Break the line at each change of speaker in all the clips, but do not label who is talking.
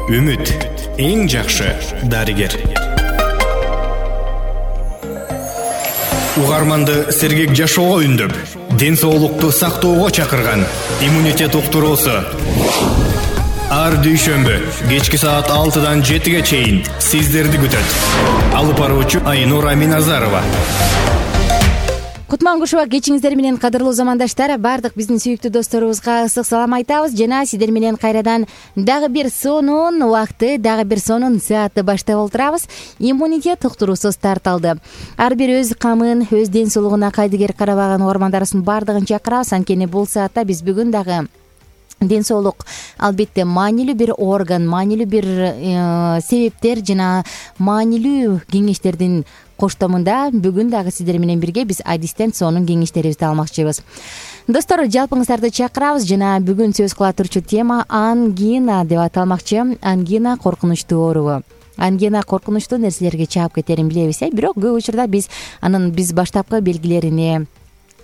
Үмүт эң жакшы дарыгер. Угарманды сергек жашоого үндөп, ден соолукту сактоого чакырган иммунитет уктуруусу. Ар дүйшөмбү кечки саат 6-дан 7-ге чейин сиздерди күтөт. Алып баруучу Айнура Миназарова.
Кутман-кушуба кечиңиздер менен, кадырлуу замандаштар. Бардык биздин сүйүктүү досторубузга ысык салам айтабыз жана сиздер менен кайрадан дагы бир сонун убакты, дагы бир сонун саатты баштап олтурабыз. Иммунитет уктуруусу старт алды. Ар бир өз камын, өз ден соолугуна кайдыгер карабаган угармандарыбыздын бардыгын чакырабыз. Анткени бул саатта биз бүгүн дагы ден соолук албетте маанилүү бир орган, маанилүү бир себептер жана маанилүү кеңештердин коштомунда бүгүн дагы сиздер менен бирге биз адистен сонун кеңештерибизди алмакчыбыз. Достор, жалпыңыздарды чакырабыз жана бүгүн сөз кыла турчу тема ангина деп аталмакчы. Ангина коркунучтуу оору. Ангина коркунучтуу нерселерге чаап кетерин билебиз, бирок көп учурда биз баштапкы белгилерине,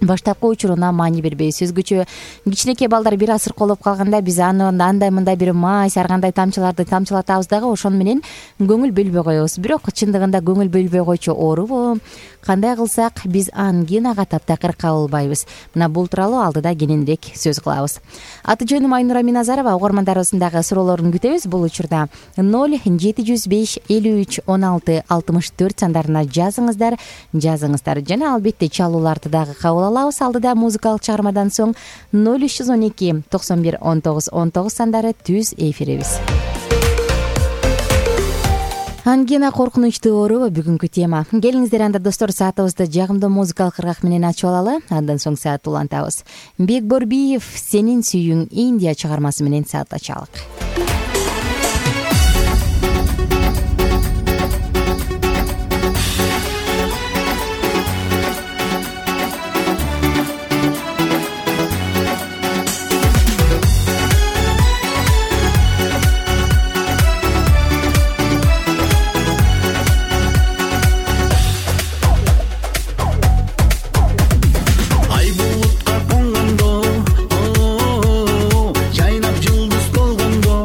баштапкы учуруна маани бербейбиз. Өзгөчө кичинекей балдар бир аз сыркоолоп калганда биз аны андай мындай бир май саргандай тамчыларды тамчылатабыз дагы ошону менен көңүл бөлбөй коебуз. Бирок чындыгында көңүл бөлбөй койчу оорубу? Кандай кылсак биз ангинага таптакыр кабылбайбыз? Мына бул тууралуу алдыда кененирээк сөз кылабыз. Аты жөнүм Айнура Миназарова. Угармандарыбыздын дагы суроолорун күтөбүз. Бул учурда 0705 53 16 64 сандарына жазыңыздар жана албетте чалууларды дагы кабыл алабыз. Алдыда музыкалык чыгармадан соң 0312 91 19 19 сандары түз эфирибиз. Ангина коркунучтуу оору бүгүнкү тема. Келиңиздер анда достор, саатыбызды жагымдуу музыкалык ыргак менен ачып алалы. Андан соң саат улантабыз. Бекборбиев «Сенин сүйүүң Индия» чыгармасы менен саатташалык.
Жайнап жылдыз болгондо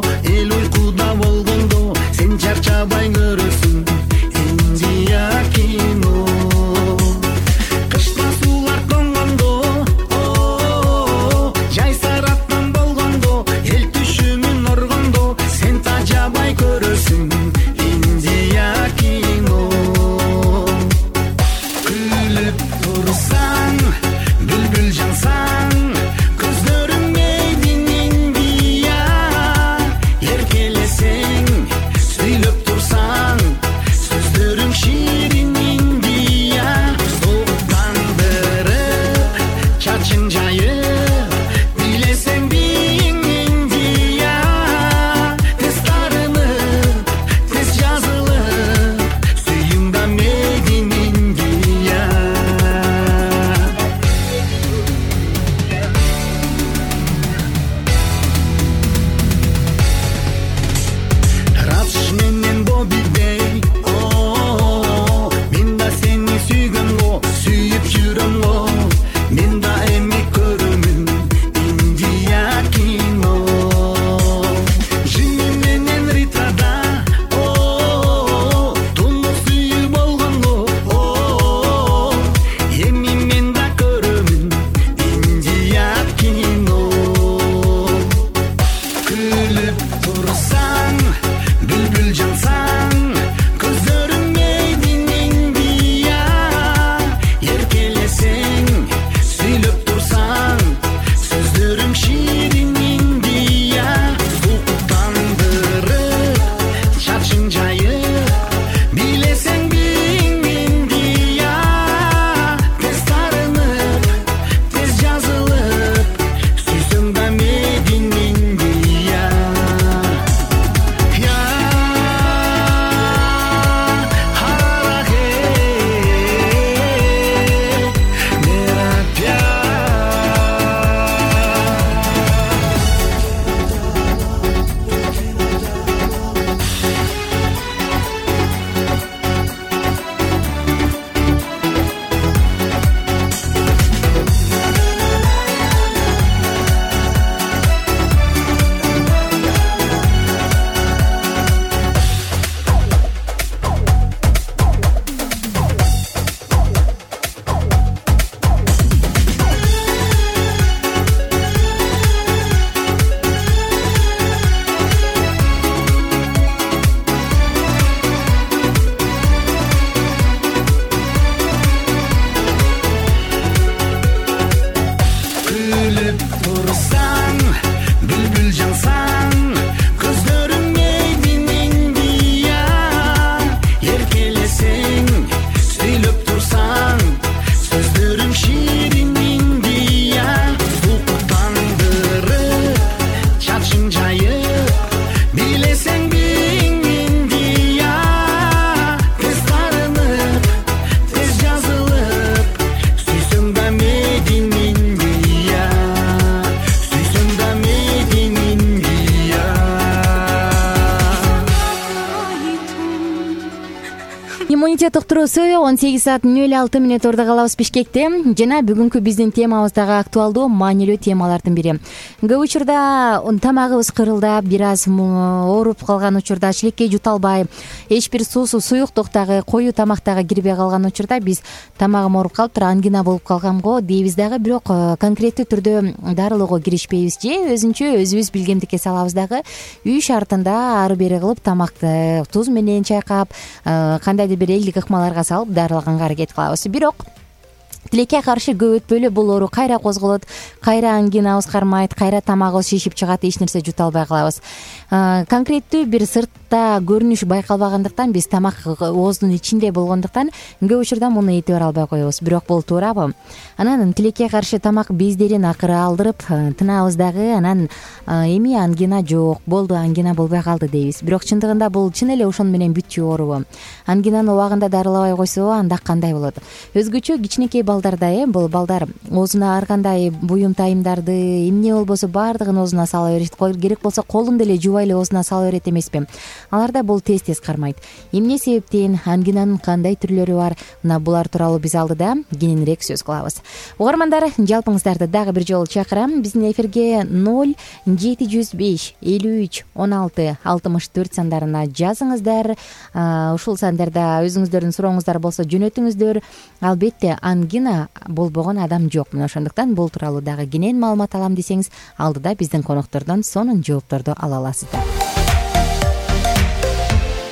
Иммунитет уктуруусу 18:06 ордо калабыз Бишкекте жана бүгүнкү биздин темабыз дагы актуалдуу, маанилүү темалардын бири. Көп учурда тамагыбыз кырылдап, бир аз ооруп калган учурда, шилекке жута албай, эч бир суюктуктагы, коюу тамактагы кирбей калган учурда биз тамагым ооруп калыптыр, ангина болуп калганго дейбиз дагы, бирок конкреттүү түрдө дарылоого киришпейбиз же өзүнчө өзүбүз билгемдикке салабыз дагы. Үй шартында ары бери кылып тамакты туз менен чайкап, кандайдыр бир элдик ыкмаларга салып дарылаганга аракет кылабыз. Бирок тилекке каршы көп өтпөйлө бул оору кайра козголот, кайра ангинабыз кармайт, кайра тамагыбыз шишип чыгат, эч нерсе жута албай калабыз. Конкреттүү бир сыртта көрүнүш байкалбагандыктан, биз тамак ооздун ичинде болгондуктан көп учурда муну этибар албай коебуз. Бирок бул туурабы? Анан тилекке каршы тамак бездерин акыры алдырып, тынабыз дагы, анан эми ангина жок, болду, ангина болбой калды дейбиз. Бирок чындыгында бул чын эле ошону менен бүтчү оорубу? Ангинаны убагында дарылабай койсо анда кандай болот? Өзгөчө кичинекей балдарда бул балдар оозуна ар кандай буюм тайымдарды, эмне болбосо баардыгын оозуна сала берет. Керек болсо колун деле жубай эле оозуна сала берет эмеспи? Аларда бул тез кармайт. Эмне себептен, ангинанын кандай түрлөрү бар? Мына булар тууралуу биз алдыда кененирээк сөз кылабыз. Угармандар, жалпыңыздарды дагы бир жолу чакырам. Биздин эфирге 0705 53 16 64 сандарына жазыңыздар. Ушул сандарда өзүңүздөрдүн сурооңуздар болсо жөнөтүңүздөр. Албетте ангина болбогон адам жок. Мына ошондуктан бул тууралуу дагы кенен маалымат алам десеңиз, алдыда биздин коноктордон сонун жоопторду ала аласыздар.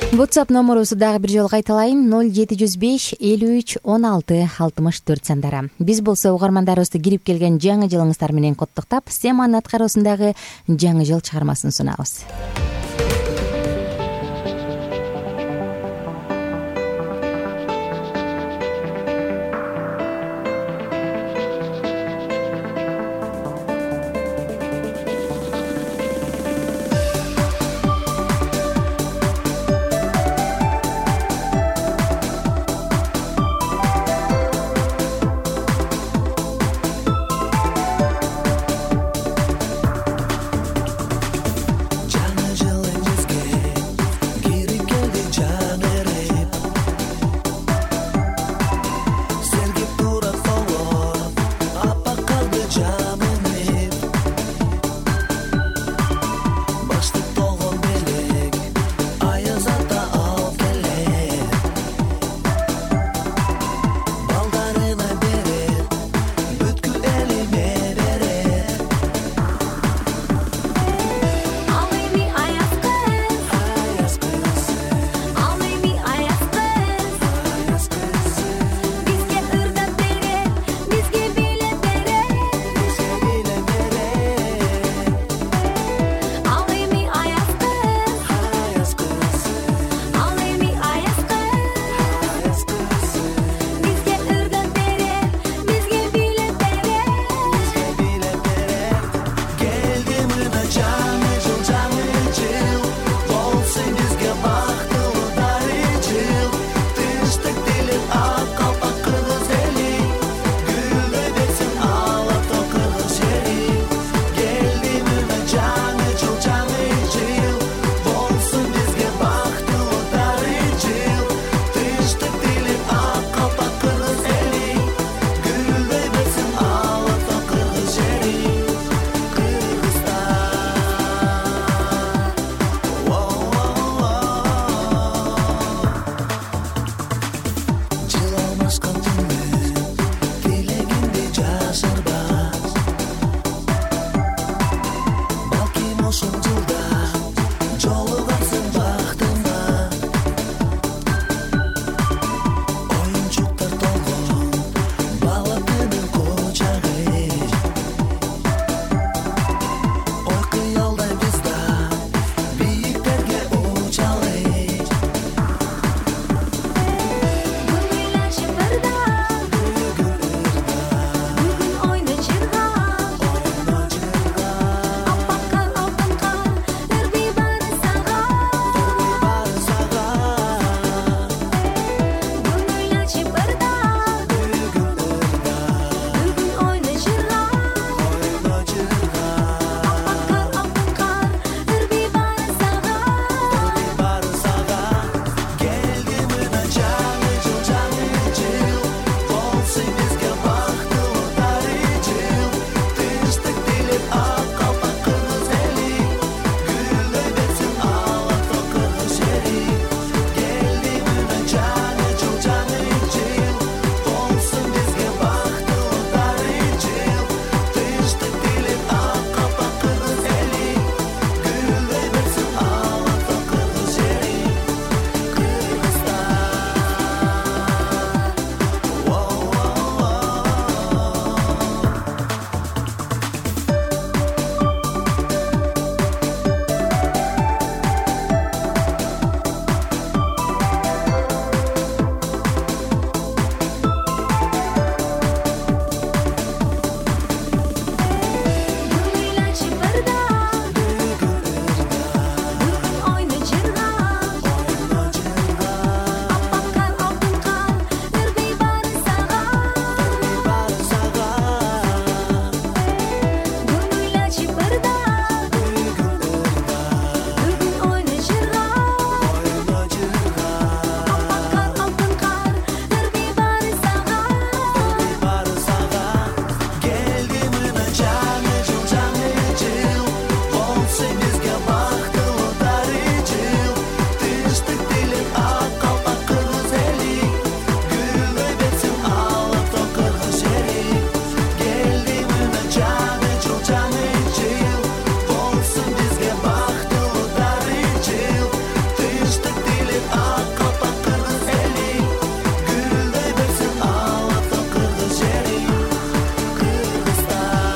WhatsApp номерубузду дагы бир жолу кайталайын: 0705 53 16 64 сандары. Биз болсо угармандарыбызды кирип келген жаңы жылыңыздар менен коттуктап, Семанын аткаруусундагы жаңы жыл чыгармасын сунабыз.
болсун бизге бактылуу дарыжыл, тынчтык тилеп ак калпак кыргыз эли, гүлдөй берсин алатоо кыргыз жери, келди мына жаны жыл жаны жыл, болсун бизге бактылуу дарыжыл, тынчтык тилеп ак калпак кыргыз эли, гүлдөй берсин алатоо кыргыз жери, Кыргызстан.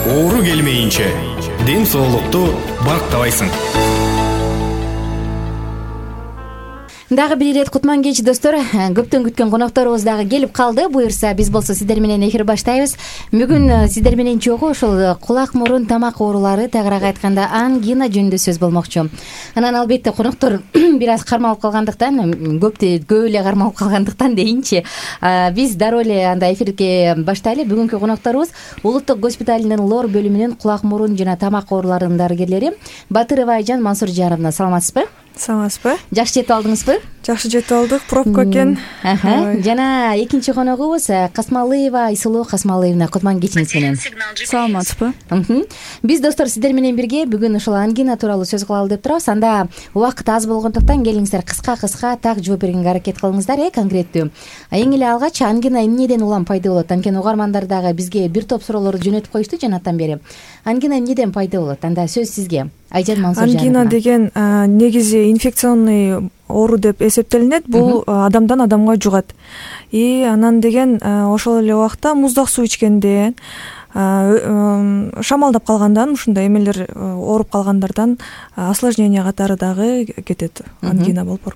Оору келмейинче ден соолукту бактабайсың.
Дагы бир ирет кутман кеч достор. Көптөн күткөн конокторубуз дагы келип калды. Буюрса биз болсо сиздер менен эфир баштайбыз. Бүгүн сиздер менен чогуу ошол кулак, мурун, тамак оорулары, тагыраак айтканда ангина жөнүндө сөз болмокчу. Анан албетте коноктор бир аз кармалып калгандыктан, көп эле кармалып калгандыктан дейинчи, биз дароо эле анда эфирге баштайлы. Бүгүнкү конокторубуз Улуттук госпиталынын лор бөлүмүнүн кулак, мурун жана тамак ооруларынын дарыгерлери Батырова Айжан Мансуржановна. Саламатсызбы?
Саламатсызбы?
Жакшы жетип алдыңызбы?
Жакшы жетип алдык. Пробка экен.
Жана экинчи коногубуз Касмалыева Айсулуу Касмалыевна. Кутман кечиңиз менен.
Саламатсызбы?
Биз достор сиздер менен бирге бүгүн ушул ангина тууралуу сөз кылалы деп турабыз. Анда убакыт аз болгондуктан келиңиздер кыска так жооп бергенге аракет кылыңыздар, конкреттүү. Эң эле алгач ангина эмнеден улам пайда болот? Анткени угармандар дагы бизге бир топ суроолорду жөнөтүп коюшту жанаттан бери. Ангина эмнеден пайда болот? Анда сөз сизге. Айжан Мансуржановна.
Ангина деген негизи инфекционный оору деп эсептелинет. Бул адамдан адамга жугат. И анан деген ошол эле убакта муздак суу ичкенде, шамалдап калгандан, ушундай эмелер ооруп калгандардан осложнение катары дагы кетет. Ангина болуп.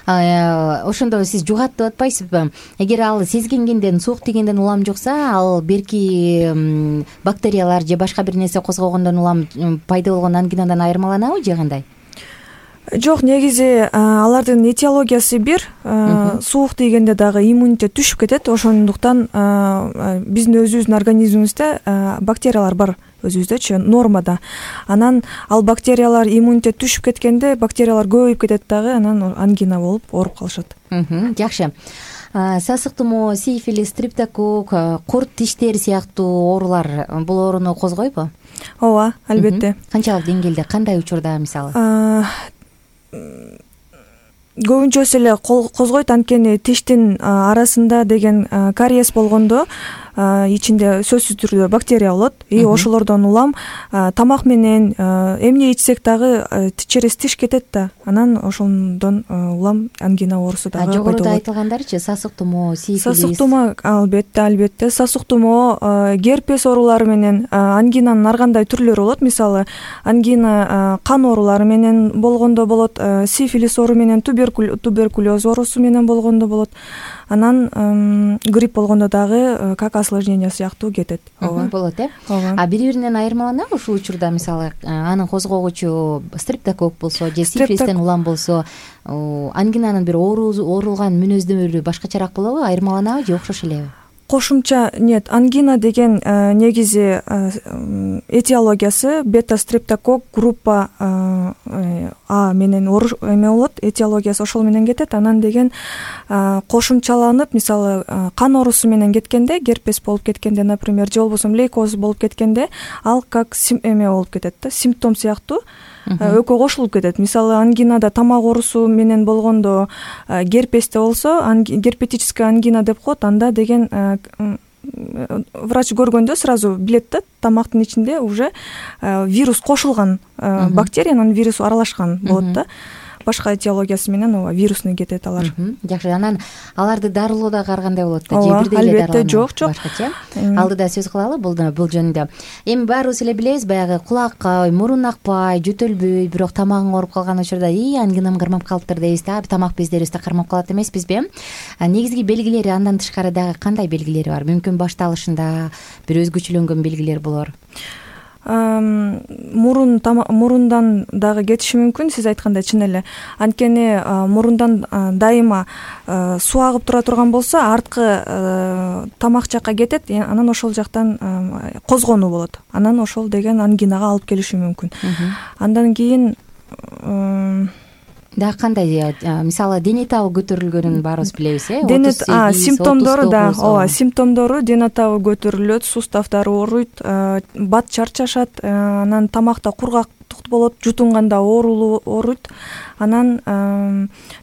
Ошондо сиз жугат деп атпайсызбы? Эгер ал сезгенден, суук тигенден улам жукса, ал берки бактериялар же башка бир нерсе козгогондон улам пайда болгон ангинадан айырмаланабы же кандай?
Жок, негизи алардын этиологиясы бир. Суук тийгенде дагы иммунитет түшүп кетет. Ошондуктан биздин өзүбүздүн организмибизде бактериялар бар, өзүбүздөчү нормада. Анан ал бактериялар иммунитет түшүп кеткенде бактериялар көбөйүп кетет дагы, анан ангина болуп ооруп калышат.
Жакшы. Сасык тумоо, сифилис, стрептокок, курт тиштер сыяктуу оорулар бул ооруну козгойбу?
Ооба, албетте.
Канчалык деңгээлде, кандай учурда мисалы?
Көбүнчөсү эле козгойт, анткени тиштин арасында деген кариес болгондо ичинде сөзсүз түрдө бактерия болот. И ошолордон улам тамак менен эмне ичсек дагы через тиш кетет да. Анан ошондон улам ангина оорусу дагы пайда болот.
Жогоруда айтылгандарчы, сасык тумоо, сифилис. Сасык
тумоо албетте. Сасык тумоо, герпес оорулары менен ангинанын ар кандай түрлөрү болот. Мисалы, ангина кан оорулары менен болгондо болот, сифилис оору менен, туберкулез оорусу менен болгондо болот. Анан грипп болгондо дагы как осложнение сыяктуу кетет.
Болот, А бири-биринен айырмаланабы ушул учурда? Мисалы, анын козгогучу стрептокок болсо же сифилистен улам болсо, ангинанын бир оорулган мүнөздөрү башкачараак болобу? Айырмаланабы же окшош элеби?
Кошумча нет, ангина деген негизи этиологиясы бета-стрептокок группа А менен эме болот, этиологиясы ошол менен кетет. Анан деген кошумчаланып, мисалы, кан оорусу менен кеткенде, герпес болуп кеткенде, например, же болбосо лейкоз болуп кеткенде, ал как эме болуп кетет да, симптом сыяктуу экөө кошулуп кетет. Мисалы, ангинада тамак оорусу менен болгондо, герпесте болсо герпетическая ангина деп коет. Анда деген врач көргөндө сразу билет да, тамактын ичинде уже вирус кошулган, бактериянын вирусу аралашкан болот да. Башка этиологиясы менен ооба вирусный кетет алар.
Жакшы, анан аларды дарылоо дагы ар кандай болот да?
Же бирдей эле албетте жок.
Башкача. Алдыда сөз кылалы бул жөнүндө. Эми баарыбыз эле билебиз, баягы кулак, мурун акпай, жөтөлбөй, бирок тамагың ооруп калган учурда ангинам кармап калыптыр дейбиз да. Тамак бездерибизде кармап калат эмеспизби? Негизги белгилери андан тышкары дагы кандай белгилери бар? Мүмкүн башталышында бир өзгөчөлөнгөн белгилер болор.
Мурундан дагы кетиши мүмкүн, сиз айткандай, чын эле. Анткени мурундан дайыма суу агып тура турган болсо, арткы тамак жакка кетет, анан ошол жактан козгонуу болот. Анан ошол деген ангинага алып келиши мүмкүн. Андан кийин
дагы кандай, мисалы дене табы көтөрүлгөнүн баарыбыз билебиз,
симптомдору да, ооба, симптомдору дене табы көтөрүлөт, суставдар ооруйт, бат чарчашат, анан тамакта кургактык болот, жутунганда ооруйт, анан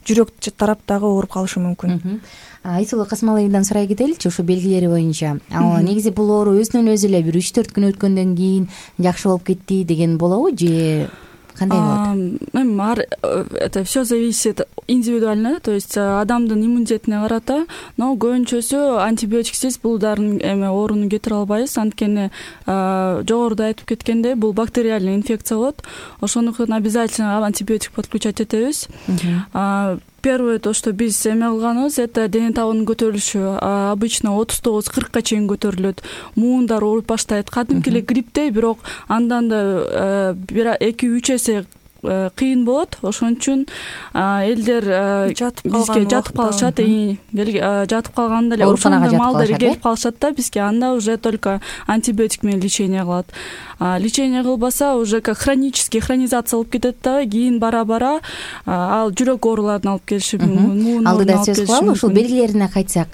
жүрөк тарап дагы ооруп калышы мүмкүн.
Айсулуу Касымалиевнадан сурай кетеличи ушул белгилери боюнча. Негизи бул оору өзүнөн өзү эле бир 3-4 күн өткөндөн кийин жакшы болуп кетти деген болобу же кандай болот?
Это все зависит индивидуально, то есть адамдын иммунитетине карата, но көбүнчөсү антибиотиксиз бул дарынын ооруну кетире албайбыз, анткени жогоруда айтып кеткендей бул бактериальный инфекция болот, ошондуктан обязательно антибиотик подключать этебиз. Первое, то, что биз кылганыбыз, это дене табынын көтөрүлүшү. Обычно 39-40 чейин көтөрүлөт. Муундар ооруп баштайт. Кадимки эле грипптей, бирок андан да 2-3 эсе кыйын болот. Ошон үчүн элдер бизге жатып калышат, жатып калганда эле ошондой малдар келип калышат да бизге, анда уже только антибиотик менен лечение кылат. Лечение кылбаса уже как хронизация болуп кетет да, кийин бара ал жүрөк ооруларына алып келиши мүмкүн.
Алдыда сөз кылалы, ушул белгилерине кайтсак,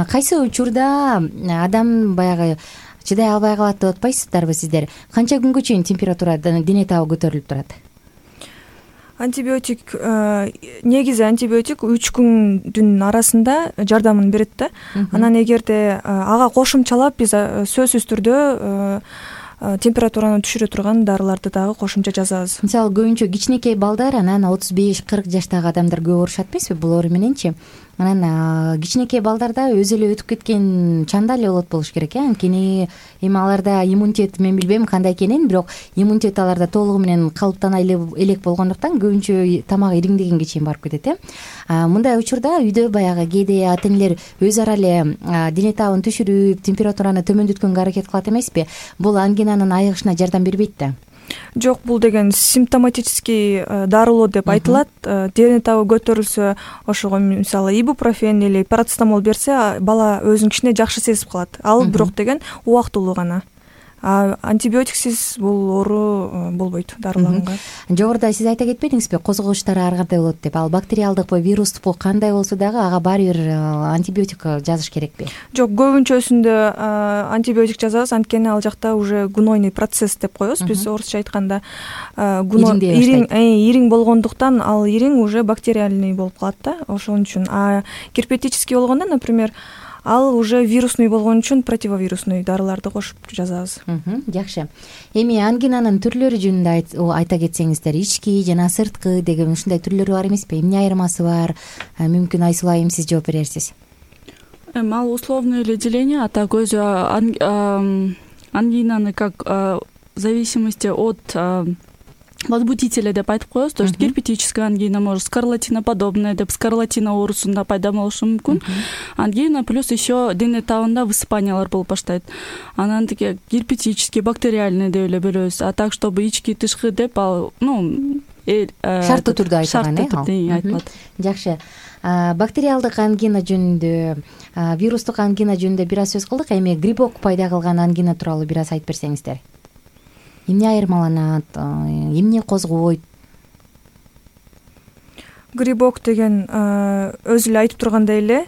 кайсы учурда адам баягы чыдай албай калат деп атпайсыздарбы сиздер? Канча күнгө чейин температура дене табы көтөрүлүп турат?
Антибиотик, негизи антибиотик 3 күндүн арасында жардамын берет да. Анан эгерде ага кошумчалап биз сөзсүз түрдө температураны түшүрө турган дарыларды дагы кошумча жазабыз.
Мисалы көбүнчө кичинекей балдар, анан 35-40 жаштагы адамдар көп оорушат эмеспи бул оору мененчи? Анан кичинекей балдарда өзү эле өтүп кеткен чанда эле болот болуш керек, анткени эми аларда иммунитет, мен билбейм кандай экенин, бирок иммунитет аларда толугу менен калыптана элек болгондуктан көбүнчө тамак ириңдегенге чейин барып кетет. Мындай учурда үйдө баягы кээде ата энелер өз ара эле дене табын түшүрүп, температураны төмөндөткөнгө аракет кылат эмеспи? Бул ангинанын айыгышына жардам бербейт да.
Жок, бул деген симптоматический дарылоо деп айтылат. Дене табы көтөрүлсө, ошого мисалы ибупрофен или парацетамол берсе, бала өзүн кичине жакшы сезип калат. Ал бирок деген убактылуу гана. Антибиотиксиз бул оору болбойт дарыланга.
Жогоруда сиз айта кетпедиңизби, козгогучтары ар кандай болот деп? Ал бактериалдыкпы, вирустукпу кандай болсо дагы ага баары бир антибиотик жазыш керекпи?
Жок, көбүнчөсүндө антибиотик жазабыз, анткени ал жакта уже гнойный процесс деп коебуз биз орусча айтканда. Ириң болгондуктан ал ириң уже бактериальный болуп калат да, ошон үчүн. Герпетический болгондо, например, ал уже вирусный болгон үчүн противовирусный дарыларды кошуп жазабыз.
Жакшы. Эми ангинанын түрлөрү жөнүндө айта кетсеңиздер, ички жана сырткы деген ушундай түрлөрү бар эмеспи? Эмне айырмасы бар? Мүмкүн Айсулуу айым сиз жооп берерсиз.
Ал условное эле деление, а так өзү ангинаны как в зависимости от возбудителя деп айтып коебуз. То есть герпетическая ангина может скарлатиноподобная деп скарлатина оорусунда пайда болушу мүмкүн. Ангина плюс еще дене табында высыпаниялар болуп баштайт. Анан тиги герпетический, бактериальный деп эле бөлөбүз. А так чтобы ички тышкы деп ал,
шарттуу түрдө айтылат. Жакшы. Бактериалдык ангина жөнүндө, вирустук ангина жөнүндө бир аз сөз кылдык. Эми грибок пайда кылган ангина тууралуу бир аз айтып берсеңиздер. Эмне айырмаланат, эмне козгойт?
Грибок деген өзү эле айтып тургандай эле,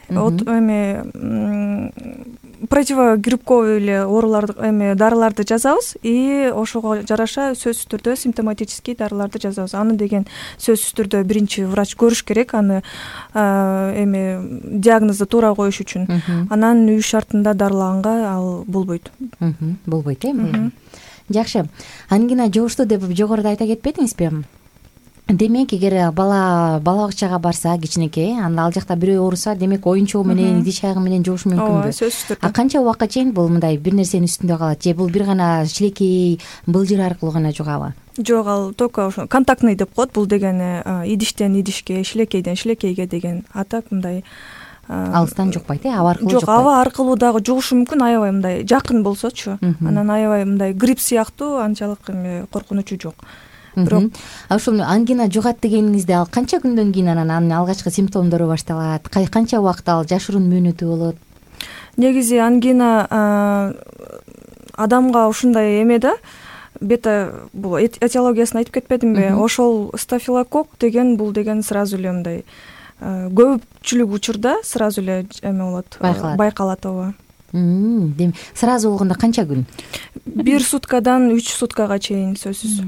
противогрибковый эле ооруларды дарыларды жазабыз, и ошого жараша сөзсүз түрдө симптоматический дарыларды жазабыз. Аны деген сөзсүз түрдө биринчи врач көрүш керек, аны диагнозду туура коюш үчүн. Анан үй шартында дарылаганга ал болбойт.
Болбойт, Жакшы. Ангина жугуштуу деп жогоруда айта кетпедиңизби? Демек, эгер бала бакчага барса, кичинекей, анда ал жакта бирөө ооруса, демек оюнчугу менен, идиш аягы менен жугуш мүмкүнбү?
Сөзсүз түрдө.
Канча убакытка чейин бул мындай бир нерсенин үстүндө калат? Же бул бир гана шилекей, былжыр аркылуу гана жугабы?
Жок, ал только ошо контактный деп коет. Бул деген идиштен идишке, шилекейден шилекейге деген. А так мындай
алыстан жукпайт, аба аркылуу жукпайт.
Жок, аба аркылуу дагы жугушу мүмкүн, аябай мындай жакын болсочу. Анан аябай мындай грипп сыяктуу анчалык коркунучу жок. Бирок
ушул ангина жугат дегениңизде ал канча күндөн кийин анан алгачкы симптомдору башталат? Канча убакыт ал жашыруун мөөнөтү болот?
Негизи ангина адамга ушундай да, бета бул этиологиясын айтып кетпедимби? Ошол стафилококк деген бул деген сразу эле мындай көпчүлүк учурда сразу эле эме болот, байкалат. Ооба.
Демек сразу болгондо канча күн?
1 суткадан 3 суткага чейин сөзсүз.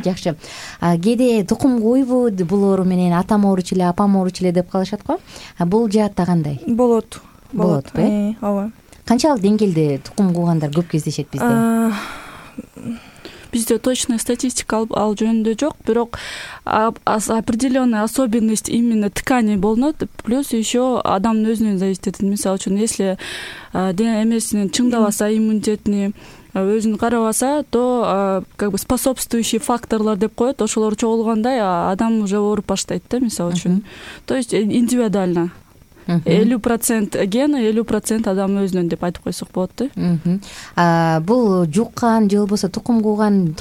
Жакшы. Кээде тукум куйбу бул оору менен атам ооруч эле, апам ооруч эле деп калышат го. Бул жаатта кандай?
Болот.
Ооба. Канчалык деңгээлде тукум куугандар көп кездешет бизде?
Бизде точный статистика ал жөнүндө жок, бирок определенная особенность именно тканей болнот, плюс еще адамдын өзүнөн зависит этет. Мисалы үчүн, если эмесинин чыңдабаса, иммунитетини өзүн карабаса, то как бы способствующий факторлор деп коет, ошолор чогулгандай адам уже ооруп баштайт да, мисалы үчүн. То есть индивидуально 50% ген, 50% адам өзүнөн деп айтып койсок болот да.
Бул жуккан же болбосо тукум кууган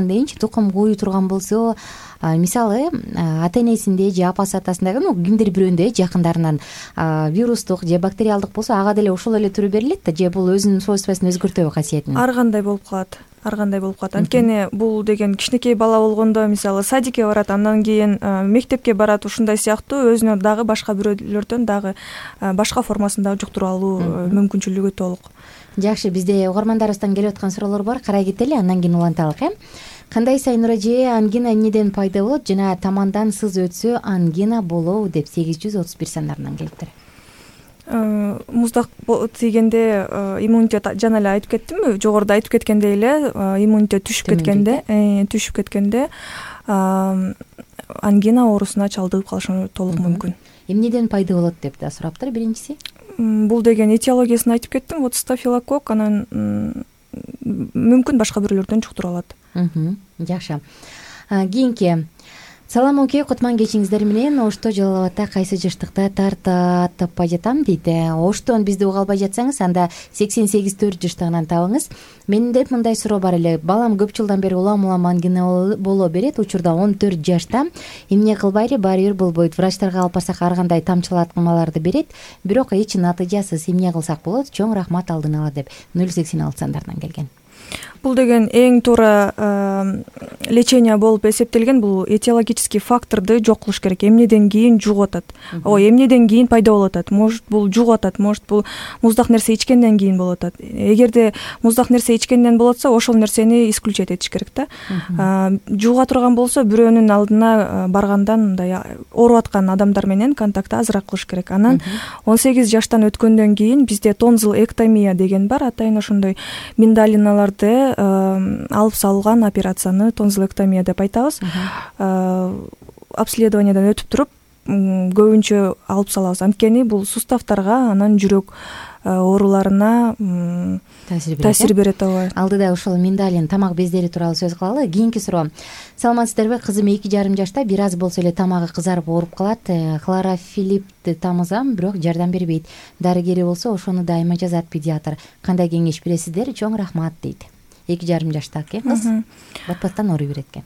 дейинчи, тукум кууй турган болсо, мисалы ата энесинде же апасы атасындагы кимдир бирөөндө жакындарынан вирустук же бактериалдык болсо, ага деле ошол эле түрү берилет да, же бул өзүнүн свойствосун өзгөртөбү, касиетин?
Ар кандай болуп калат. Анткени бул деген кичинекей бала болгондо, мисалы садикке барат, андан кийин мектепке барат, ушундай сыяктуу өзүнө дагы башка бирөөлөрдөн дагы башка формасында жуктуруп алуу мүмкүнчүлүгү толук.
Жакшы, бизде угармандарыбыздан келип аткан суроолор бар, карай кетели, андан кийин уланталык. Кандай Сайнура эже, ангина эмнеден пайда болот жана тамандан сыз өтсө ангина болобу деп 831 сандарынан келиптир.
Муздак тийгенде иммунитет, жана эле айтып кеттимби, жогоруда айтып кеткендей эле, иммунитет түшүп кеткенде ангина оорусуна чалдыгып калышы толук мүмкүн.
Эмнеден пайда болот деп да сураптыр биринчиси.
Бул деген этиологиясын айтып кеттим, вот стафилококк, анан мүмкүн башка бирөөлөрдөн жуктуруп алат.
Жакшы. Кийинки саламуке, кутман кечиңиздер менен. Ошто Жалал Абадта кайсы жаштыкта тартат таппай жатам дейт. Оштон бизди уга албай жатсаңыз, анда 88-4 жаштыгынан табыңыз. Менде мындай суроо бар эле. Балам көп жылдан бери улам ангина боло берет. Учурда 14 жашта. Эмне кылбайлы, баары бир болбойт. Врачтарга алып барсак ар кандай тамчылатмаларды берет. Бирок эч натыйжасыз. Эмне кылсак болот? Чоң рахмат алдын ала деп 086 сандарынан келген.
Бул деген эң туура лечение болуп эсептелген. Бул этиологический факторду жок кылыш керек. Эмнеден кийин жугуп атат. Эмнеден кийин пайда болуп атат. Может бул жугуп атат, может бул муздак нерсе ичкенден кийин болуп атат. Эгерде муздак нерсе ичкенден болот болсо, ошол нерсени исключать этиш керек да. Жуга турган болсо, бирөөнүн алдына баргандан мындай ооруп аткан адамдар менен контакты азыраак кылыш керек. Анан 18 жаштан өткөндөн кийин бизде тонзилэктомия деген бар. Атайын ошондой миндалиналарды алып салган операцияны тонзилэктомия деп айтабыз. Обследованиядан өтүп туруп көбүнчө алып салабыз. Анткени бул суставтарга, анан жүрөк ооруларына таасир берет.
Алдыда ошол миндалин, тамак бездери тууралуу сөз кылалы. Кийинки суроо. Саламатсыздарбы? Кызым 2,5 жашта, бир аз болсо эле тамагы кызарып ооруп калат. Хлорофилипти тамызам, бирок жардам бербейт. Дарыгери болсо ошону дайыма жазат педиатр. Кандай кеңеш бересиздер? Чоң рахмат дейт. 2,5 жаштагы кыз батпастан ооруй берет экен.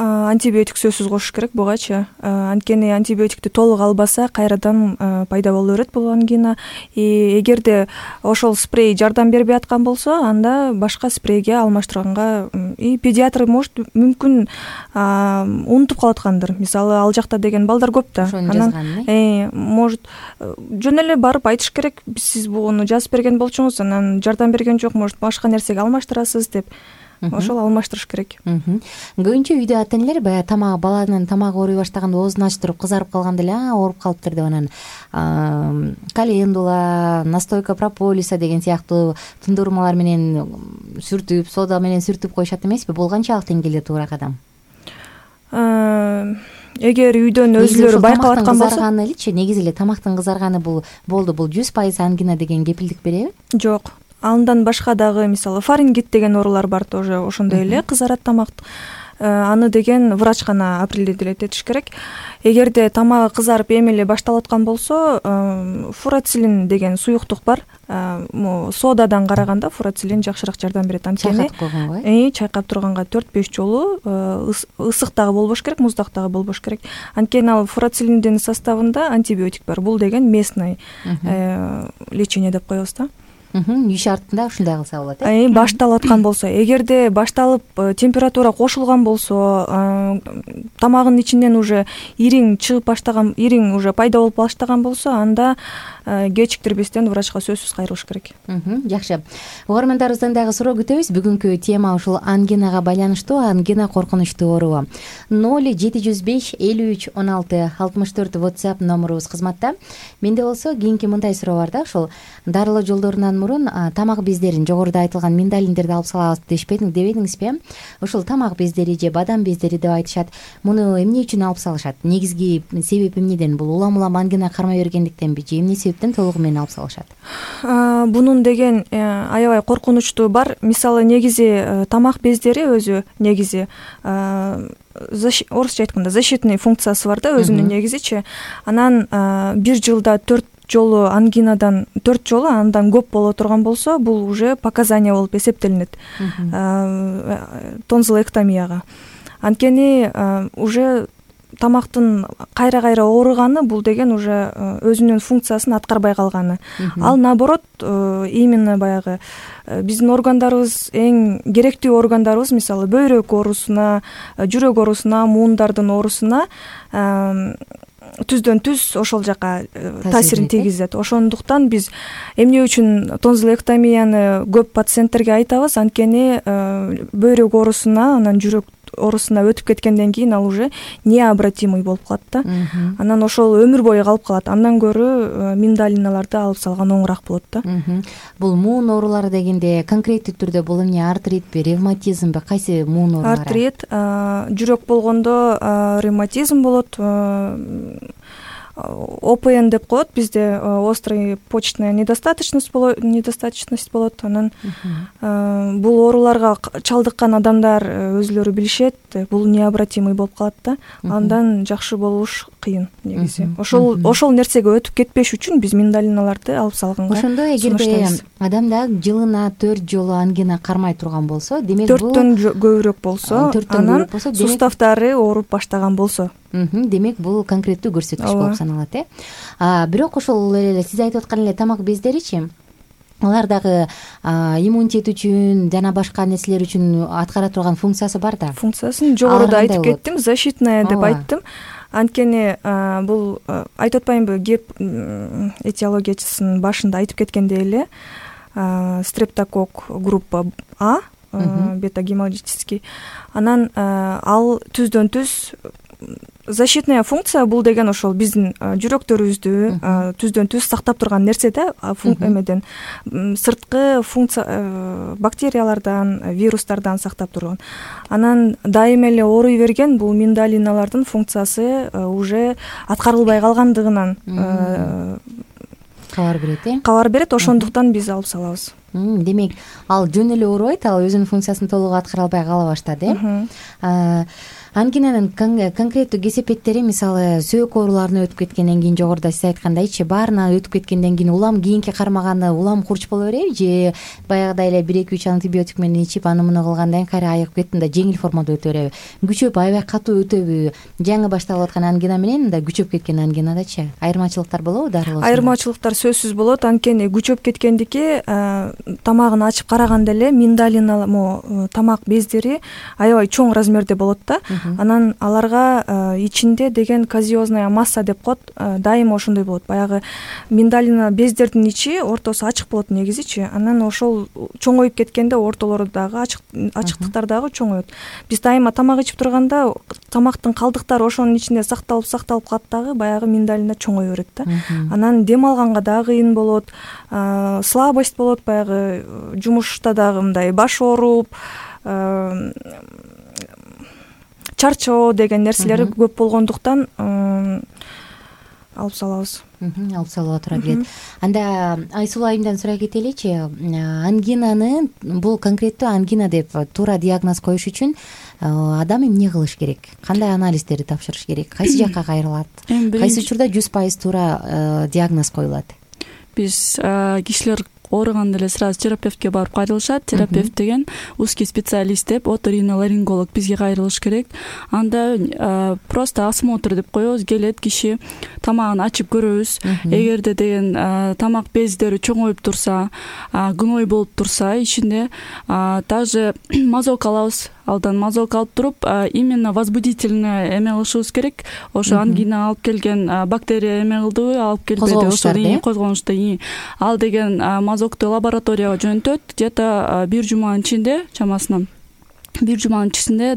Антибиотик сөзсүз кошуш керек бугачы. Анткени антибиотикти толук албаса, кайрадан пайда боло берет бул ангина. Эгерде ошол спрей жардам бербей аткан болсо, анда башка спрейге алмаштырганга педиатр мүмкүн унутуп калаткандыр. Мисалы, ал жакта деген балдар көп да. Анан может жөн эле барып айтыш керек, сиз буну жазып берген болчуңуз, анан жардам берген жок, может башка нерсеге алмаштырасыз деп. Ошол алмаштырыш керек.
Көбүнчө үйдө ата энелер баягы баланын тамагы ооруй баштаганда оозун ачтырып кызарып калганда эле ооруп калыптыр деп, анан календула, настойка прополиса деген сыяктуу тундурмалар менен сүртүп, сода менен сүртүп коюшат эмеспи? Бул канчалык деңгээлде туура кадам?
Эгер үйдөн өзүлөрү байкап аткан болсо,
кызарганы элечи, негизи эле тамактын кызарганы бул 100% ангина деген кепилдик береби?
Жок. Андан башка дагы, мисалы, фарингит деген оорулар бар, тоже ошондой эле кызарат тамак. Аны деген врач гана определить этиш керек. Эгерде тамагы кызарып эми эле башталып аткан болсо, фурацилин деген суюктук бар. Содадан караганда фурацилин жакшыраак жардам берет. Анткени чайкап турганга 4-5 жолу ысык дагы болбош керек, муздак дагы болбош керек. Анткени ал фурацилиндин составында антибиотик бар. Бул деген местный лечение деп коебуз да.
иш артында ушундай кылса болот
башталып аткан болсо, эгерде башталып температура кошулган болсо, тамагынын ичинен уже ириң чыгып баштаган, ириң уже пайда болуп баштаган болсо, анда кечиктирбестен врачка сөзсүз кайрылыш керек.
Жакшы. Угармандарыбыздан дагы суроо күтөбүз. Бүгүнкү тема ушул ангинага байланыштуу. Ангина коркунучтуу оору. 0705 53 16 64 WhatsApp номерубуз кызматта. Менде болсо кийинки мындай суроо бар да, ушул дарылоо жолдорунан мурун тамак бездерин, жогоруда айтылган миндалиндерди алып салабыз дебедиңизби? Ушул тамак бездери же бадам бездери деп айтышат. Муну эмне үчүн алып салышат? Негизги себеп эмнеден? Бул улам ангина кармай бергендиктенби же эмне себептен толугу менен алып салышат?
Бунун деген аябай коркунучтуу бар. Мисалы, негизи тамак бездери өзү негизи орусча айтканда защитный функциясы бар да, өзүнүн негизичи. Анан бир жылда 4 жолу ангинадан 4 жолу андан көп боло турган болсо, бул уже показания болуп эсептелинет тонзиллэктомияга. Анткени уже тамактын кайра ооруганы, бул деген уже өзүнүн функциясын аткарбай калганы. Ал наоборот, именно баягы биздин органдарыбыз, эң керектүү органдарыбыз, мисалы бөйрөк оорусуна, жүрөк оорусуна, муундардын оорусуна түздөн түз ошол жака таасирин тийгизет. Ошондуктан биз эмне үчүн тонзиллэктомияны көп пациенттерге айтабыз? Анткени бөйрөк оорусуна, анан жүрөк оорусуна өтүп кеткенден кийин ал уже необратимый болуп калат да. Анан ошол өмүр бою калып калат. Андан көрө миндалиналарды алып салган оңураак болот да.
Бул муун оорулары дегенде конкреттүү түрдө бул эмне, артритпи, ревматизмби, кайсы муун оорулары?
Артрит, жүрөк болгондо ревматизм болот, ОПН деп коет бизде, острый почечная недостаточность болот. Анан бул ооруларга чалдыккан адамдар өзүлөрү билишет, бул необратимый болуп калат да. Андан жакшы болуш кыйын негизи. Ошол нерсеге өтүп кетпеш үчүн биз миндалиналарды алып салганга
ошондо эгерде адамда жылына 4 жолу ангина кармай турган болсо, демек бул
4төн көбүрөөк болсо, анан суставтары ооруп баштаган болсо,
демек бул конкреттүү көрсөткүч болуп саналат. Бирок ошол эле сиз айтып аткан эле тамак бездеричи, алар дагы иммунитет үчүн жана башка нерселер үчүн аткара турган функциясы бар да.
Функциясын жогоруда айтып кеттим, защитная деп айттым. Анткени бул айтып атпаймынбы, геп этиологиясынын башында айтып кеткендей эле, стрептокок группа А, бета-гемолитический. Анан ал түздөн түз защитная функция, бул деген ошол биздин жүрөктөрүбүздү түздөн түз сактап турган нерсе да, эмеден сырткы функция, бактериялардан, вирустардан сактап турган. Анан дайыма эле ооруй берген бул миндалиналардын функциясы уже аткарылбай калгандыгынан кабар берет. Ошондуктан биз алып салабыз.
Демек, ал жөн эле оорубайт, ал өзүнүн функциясын толук аткара албай кала баштады. Ангинанын конкреттүү кесепеттери, мисалы сөөк ооруларына өтүп кеткенден кийин, жогоруда сиз айткандайчы, баарына өтүп кеткенден кийин улам кийинки кармаганы улам курч боло береби же баягыдай эле 1-2-3 антибиотик менен ичип аны муну кылгандан кийин кайра айыгып кетти, да жеңил формада өтө береби? Күчөп аябай катуу өтөбү? Жаңы башталып аткан ангина менен да күчөп кеткен ангинадачы айырмачылыктар болобу дарылоосунда?
Айырмачылыктар сөзсүз болот. Анткени күчөп кеткендики тамагын ачып караганда эле миндалина тамак бездери аябай чоң размерде болот да. Анан аларга ичинде деген казиозная масса деп коет, дайыма ошондой болот. Баягы миндалина бездердин ичи, ортосу ачык болот негизичи. Анан ошол чоңоюп кеткенде ортолору дагы ачыктыктар дагы чоңоет. Биз дайыма тамак ичип турганда тамактын калдыктары ошонун ичинде сакталып калат дагы, баягы миндалина чоңое берет да. Анан дем алганга дагы кыйын болот, слабость болот, баягы жумушта дагы мындай баш ооруп, чарчоо деген нерселери көп болгондуктан алып салабыз.
Алып салууга туура келет. Анда Айсулуу айымдан сурай кетеличи, ангинаны, бул конкреттүү ангина деп туура диагноз коюш үчүн адам эмне кылыш керек? Кандай анализдерди тапшырыш керек? Кайсы жакка кайрылат? Кайсы учурда 100% туура диагноз коюлат?
Биз кишилер ооруганда эле сразу терапевтке барып кайрылышат. Терапевт деген узкий специалист деп, оториноларинголог бизге кайрылыш керек. Анда просто осмотр деп коебуз. Келет киши, тамагын ачып көрөбүз. Эгерде деген тамак бездери чоңоюп турса, гной болуп турса ичинде, даже мазок алабыз. Алдан мазок алып туруп, именно возбудительный эме кылышыбыз керек. Ошо ангина алып келген бактерия эме кылдыбы, алып келбеди, ошо козгонушту. Ал деген мазокту лабораторияга жөнөтөт. Где-то 1 жуманын ичинде, чамасынан 1 жуманын ичинде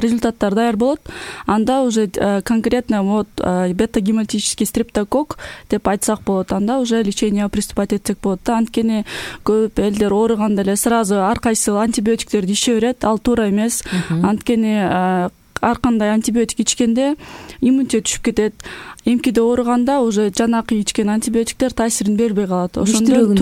результаттар даяр болот. Анда уже конкретно вот бета-гемолитический стрептокок деп айтсак болот. Анда уже лечение приступать этсек болот. Анткени көп элдер ооруганда эле сразу ар кайсы антибиотиктерди иче берет. Ал туура эмес. Анткени ар кандай антибиотик ичкенде иммунитет түшүп кетет. Эмкиде ооруганда уже жанакы ичкен антибиотиктер таасирин бербей калат. Ошондо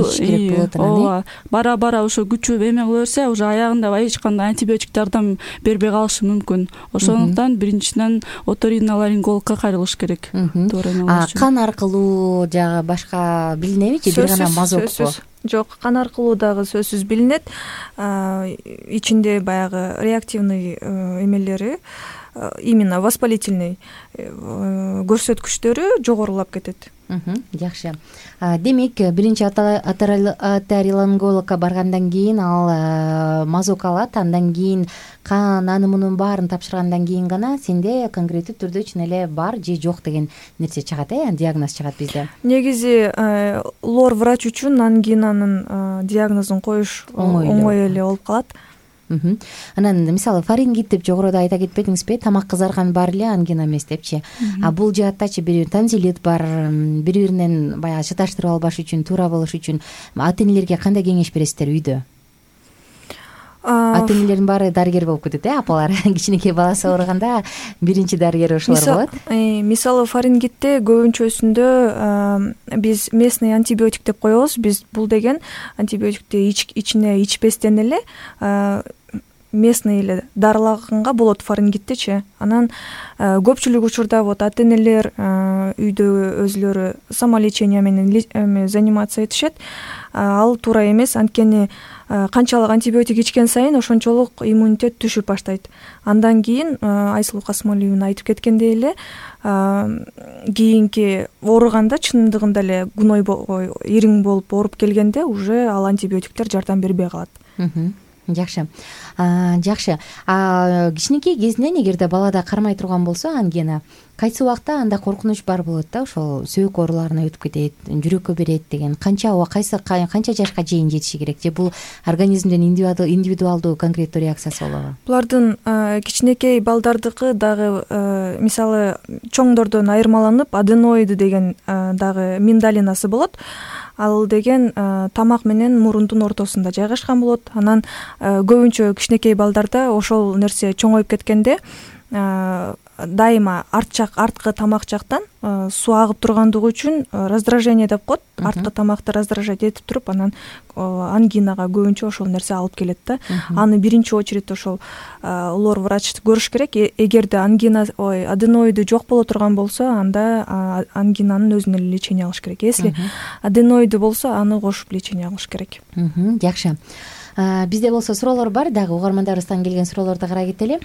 бара ошо күчү эме кыла берсе, уже аягында эч кандай антибиотик жардам бербей калышы мүмкүн. Ошондуктан биринчиден оториноларингологко кайрылыш керек.
Кан аркылуу жагы башка билинебичи? Бир гана мазокко?
Жок, кан аркылуу дагы сөзсүз билинет. Ичинде баягы реактивный эмелери, именно воспалительный көрсөткүчтөрү жогорулап кетет.
Жакшы. Демек, биринчи оториноларингологко баргандан кийин ал мазок алат, андан кийин кан аны мунун баарын тапшыргандан кийин гана сенде конкреттүү түрдө чын эле бар же жок деген нерсе чыгат, диагноз чыгат бизде.
Негизи лор врач үчүн ангинанын диагнозун коюш оңой эле болуп калат.
Анан мисалы фарингит деп жогоруда айта кетпедиңизби? Тамак кызарган баары эле ангина эмес депчи. Бул жааттачы бир тонзиллит бар, бири-биринен баягы шаташтырып албаш үчүн, туура болуш үчүн ата-энелерге кандай кеңеш бересиздер үйдө? Ата-энелердин баары дарыгер болуп кетет, апалар. Кичинекей баласы ооруганда биринчи дарыгер ошолор болот.
Мисалы фарингитте көбүнчөсүндө биз местный антибиотик деп коебуз. Биз бул деген антибиотикти ичине ичпестен эле местный эле дарылаганга болот фарингиттечи. Анан көпчүлүк учурда вот ата-энелер үйдө өзүлөрү самолечение менен заниматься этишет. Ал туура эмес, анткени канчалык антибиотик ичкен сайын ошончолук иммунитет түшүп баштайт. Андан кийин Айсулуу Касымалиевна айтып кеткендей эле, кийинки ооруганда чындыгында эле гной ириң болуп ооруп келгенде уже ал антибиотиктер жардам бербей калат.
Жакшы. Кичинекей кезинен эгерде балада кармай турган болсо ангина, кайсы убакта анда коркунуч бар болот да, ошол сөөк ооруларына өтүп кетет, жүрөккө берет деген. Канча жашка чейин жетиши керек же бул организмден индивидуалдуу конкреттүү реакциясы болобу?
Булардын кичинекей балдардыкы дагы мисалы чоңдордон айырмаланып аденоиды деген дагы миндалинасы болот. Ал деген тамак менен мурундун ортосунда жайгашкан болот. Анан көбүнчө кичинекей балдарда ошол нерсе чоңоюп кеткенде дайыма арткы тамак жактан суу агып тургандыгы үчүн раздражение деп коет. Арткы тамакты раздражать этип туруп, анан ангинага көбүнчө ошол нерсе алып келет да. Аны биринчи очередь ошол лор врач көрүш керек. Эгерде аденоиды жок боло турган болсо, анда ангинанын өзүнө эле лечение алыш керек. Если аденоиды болсо, аны кошуп лечение алыш керек.
Жакшы. Бизде болсо суроолор бар, дагы угармандарыбыздан келген суроолорду карай кетели.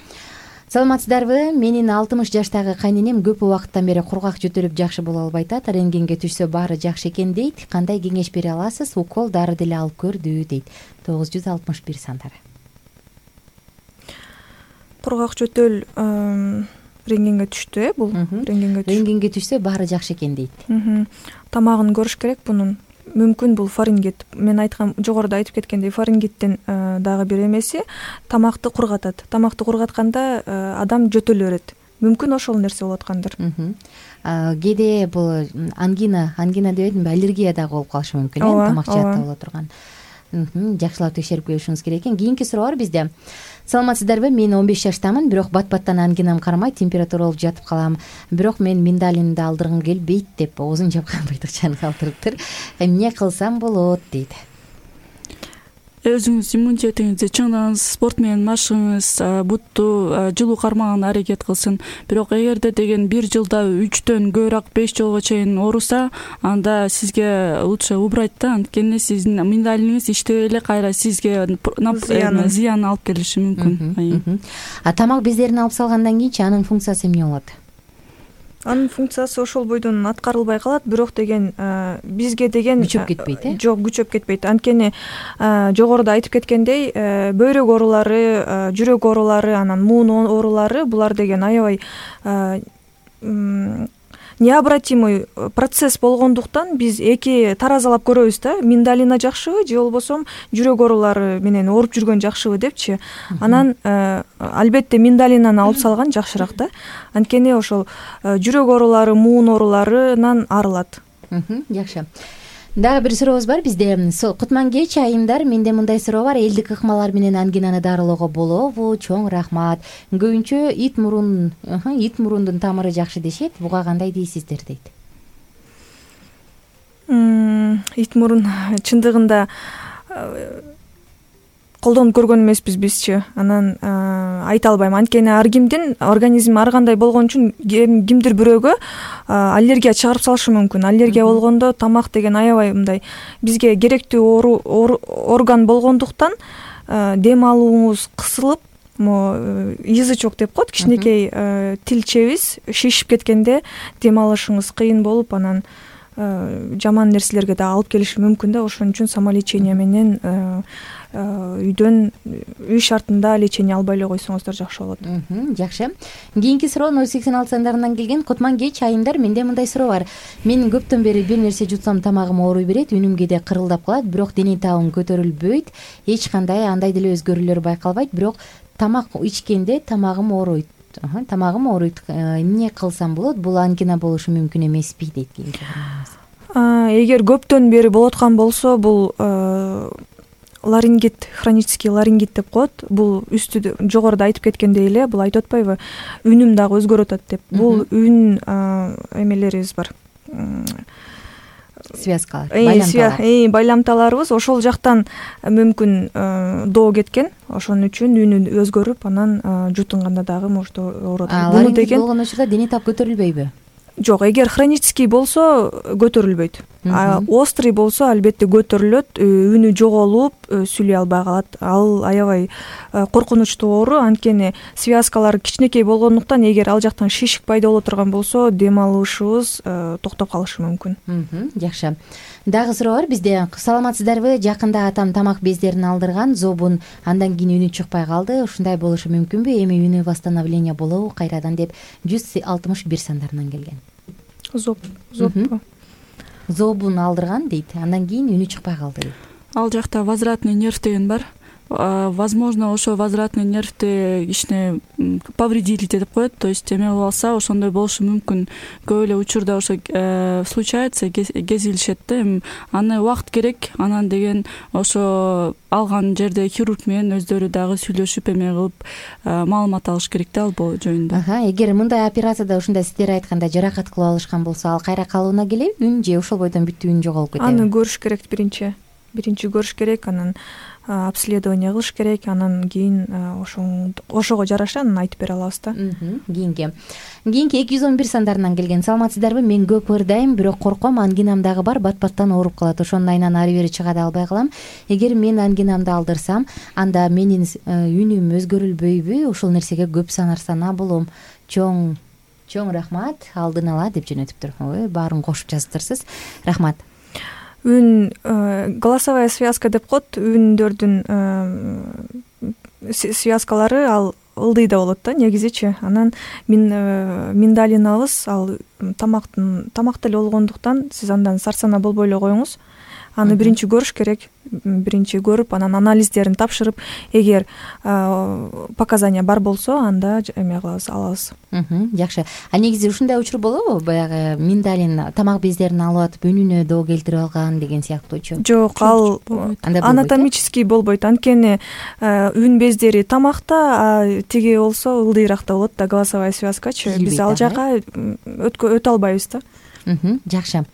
Саламатсыздарбы? Менин 60 жаштагы кайненем көп убакыттан бери кургак жөтөлүп жакшы боло албай атат. Рентгенге түшсө баары жакшы экен дейт. Кандай кеңеш бере аласыз? Укол, дары деле алып көрдү дейт. 961 сандары.
Кургак жөтөл рентгенге түштү, бул
рентгенге түшсө баары жакшы экен дейт.
Тамагын көрүш керек бунун. Мүмкүн бул фарингит. Мен айткан, жогоруда айтып кеткендей, фарингиттин дагы бир эмеси тамакты кургатат. Тамакты кургатканда адам жөтөлө берет. Мүмкүн ошол нерсе болуп аткандыр.
Кээде бул ангина дебедимби, аллергия дагы болуп калышы мүмкүн, тамак жаатта боло турган. Жакшылап текшерип көрүшүңүз керек экен. Кийинки суроо бар бизде. Саламатсыздарбы? Мен 15 жаштамын, бирок бат-баттан ангинам кармайт, температура болуп жатып калам. Бирок мен миндалинди алдыргым келбейт деп оозун жапкан быйтыкчаны калтырыптыр. Эмне кылсам болот дейт.
өзүңүз иммунитетиңизди чыңдаңыз, спорт менен машыгыңыз, бутту жылуу кармаганга аракет кылсын. Бирок эгерде деген 1 жылда 3төн көбүрөөк 5 жолго чейин ооруса, анда сизге лучше убрать да, анткени сиздин миндалиниңиз иштебей эле кайра сизге зыян алып келиши мүмкүн.
Тамак бездерин алып салгандан кийинчи анын функциясы эмне болот?
Анын функциясы ошол бойдон аткарылбай калат, бирок деген бизге деген
күчөп кетпейт,
Жок, күчөп кетпейт. Анткени жогоруда айтып кеткендей, бөйрөк оорулары, жүрөк оорулары, анан муун оорулары булар деген аябай необратимый процесс болгондуктан биз эки таразалап көрөбүз да, миндалина жакшыбы же болбосо жүрөк оорулары менен ооруп жүргөн жакшыбы депчи. Анан албетте миндалинаны алып салган жакшыраак да. Анткени ошол жүрөк оорулары, муун ооруларынан арылат.
Жакшы. Дагы бир сурообуз бар бизде. Кутман-кеч айымдар, менде мындай суроо бар. Элдик ыкмалар менен ангинаны дарылоого болобу? Чоң рахмат. Көбүнчө ит мурундун тамыры жакшы дешет. Буга кандай дейсиздер дейт.
Ит мурун чындыгында колдонуп көргөн эмеспиз бизчи. Анан айта албайм. Анткени ар кимдин организми ар кандай болгон үчүн кимдир бирөөгө аллергия чыгарып салышы мүмкүн. Аллергия болгондо тамак деген аябай мындай бизге керектүү орган болгондуктан дем алууңуз кысылып, язычок деп коет, кичинекей тилчебиз шишип кеткенде дем алышыңыз кыйын болуп, анан жаман нерселерге да алып келиши мүмкүн да. Ошон үчүн самолечение менен үйдөн үй шартында лечение албай эле койсоңуздар жакшы болот.
Жакшы. Кийинки суроо 086 сандарынан келген. Кутман-кеч айымдар, менде мындай суроо бар. Мен көптөн бери бир нерсе жутсам тамагым ооруй берет, үнүм кээде кырылдап калат, бирок дене табым көтөрүлбөйт, эч кандай андай деле өзгөрүүлөр байкалбайт, бирок тамак ичкенде тамагым ооруйт. Эмне кылсам болот? Бул ангина болушу мүмкүн эмеспи дейт.
Эгер көптөн бери болуп аткан болсо, бул ларингит, хронический ларингит деп коет. Бул үстү жогоруда айтып кеткендей эле, бул айтып атпайбы? Үнүм дагы өзгөрүп атат деп. Бул үн эмелерибиз бар.
Связкалар,
байламталарыбыз ошол жактан мүмкүн доо кеткен. Ошон үчүн үнү өзгөрүп, анан жутунганда дагы может ооруп.
Буну деген болгон учурда дене таб көтөрүлбөйбү?
Жок, эгер хронический болсо көтөрүлбөйт. Острый болсо албетте көтөрүлөт, үнү жоголуп, сүйлөй албай калат. Ал аябай коркунучтуу оору, анткени связкалар кичинекей болгондуктан эгер ал жактан шишик пайда боло турган болсо, дем алышыбыз токтоп калышы мүмкүн.
Жакшы. Дагы суроо бар бизде. Саламатсыздарбы? Жакында атам тамак бездерин алдырган, зобун, андан кийин үнү чыкпай калды. Ушундай болушу мүмкүнбү? Эми үнү восстановление болобу кайрадан деп 161 сандарынан келген. Зобун алдырган дейт, андан кийин үнү чыкпай калды дейт.
Ал жакта возвратный нерв деген бар. Возможно, ошо возвратный нервди кичине повредили деп коет, то есть эме болуп алса, ошондой болушу мүмкүн. Көп эле учурда ошо случается, кезилишет да. Аны убакыт керек, анан деген ошо алган жерде хирург менен өздөрү дагы сүйлөшүп эме кылып маалымат алыш керек да ал жөнүндө.
Эгер мындай операцияда ушундай сиздер айткандай жаракат кылып алышкан болсо, ал кайра калууна келеби? Үн же ошол бойдон бүттү үн жоголуп кетеби?
Аны көрүш керек биринчи көрүш керек, анан обследование кылыш керек, анан кийин ошого жараша анан айтып бере алабыз да.
Кийинки 211 сандарынан келген. Саламатсыздарбы? Мен көп ырдайм, бирок корком, ангинам дагы бар, бат-баттан ооруп калат. Ошонун айынан ары бери чыга да албай калам. Эгер мен ангинамды алдырсам, анда менин үнүм өзгөрүлбөйбү? Ошол нерсеге көп санарсана болом. Чоң рахмат, алдын ала деп жөнөтүптүр. Баарын кошуп жазыптырсыз. Рахмат.
Үн голосовая связка деп коет, үндөрдүн связкалары ал ылдыйда болот да негизичи. Анан миндалинабыз ал тамакта эле болгондуктан сиз андан сарсана болбой эле коюңуз. Аны биринчи көрүш керек. Биринчи көрүп, анан анализдерин тапшырып, эгер показания бар болсо, анда эме алабыз.
Жакшы. Негизи ушундай учур болобу? Баягы миндалин тамак бездерин алып атып үнүнө доо келтирип алган деген сыяктуучу?
Жок, ал анатомический болбойт. Анткени үн бездери тамакта, тиги болсо ылдыйраакта болот да, голосовая связкачы. Биз ал жака өтө албайбыз да.
Жакшы.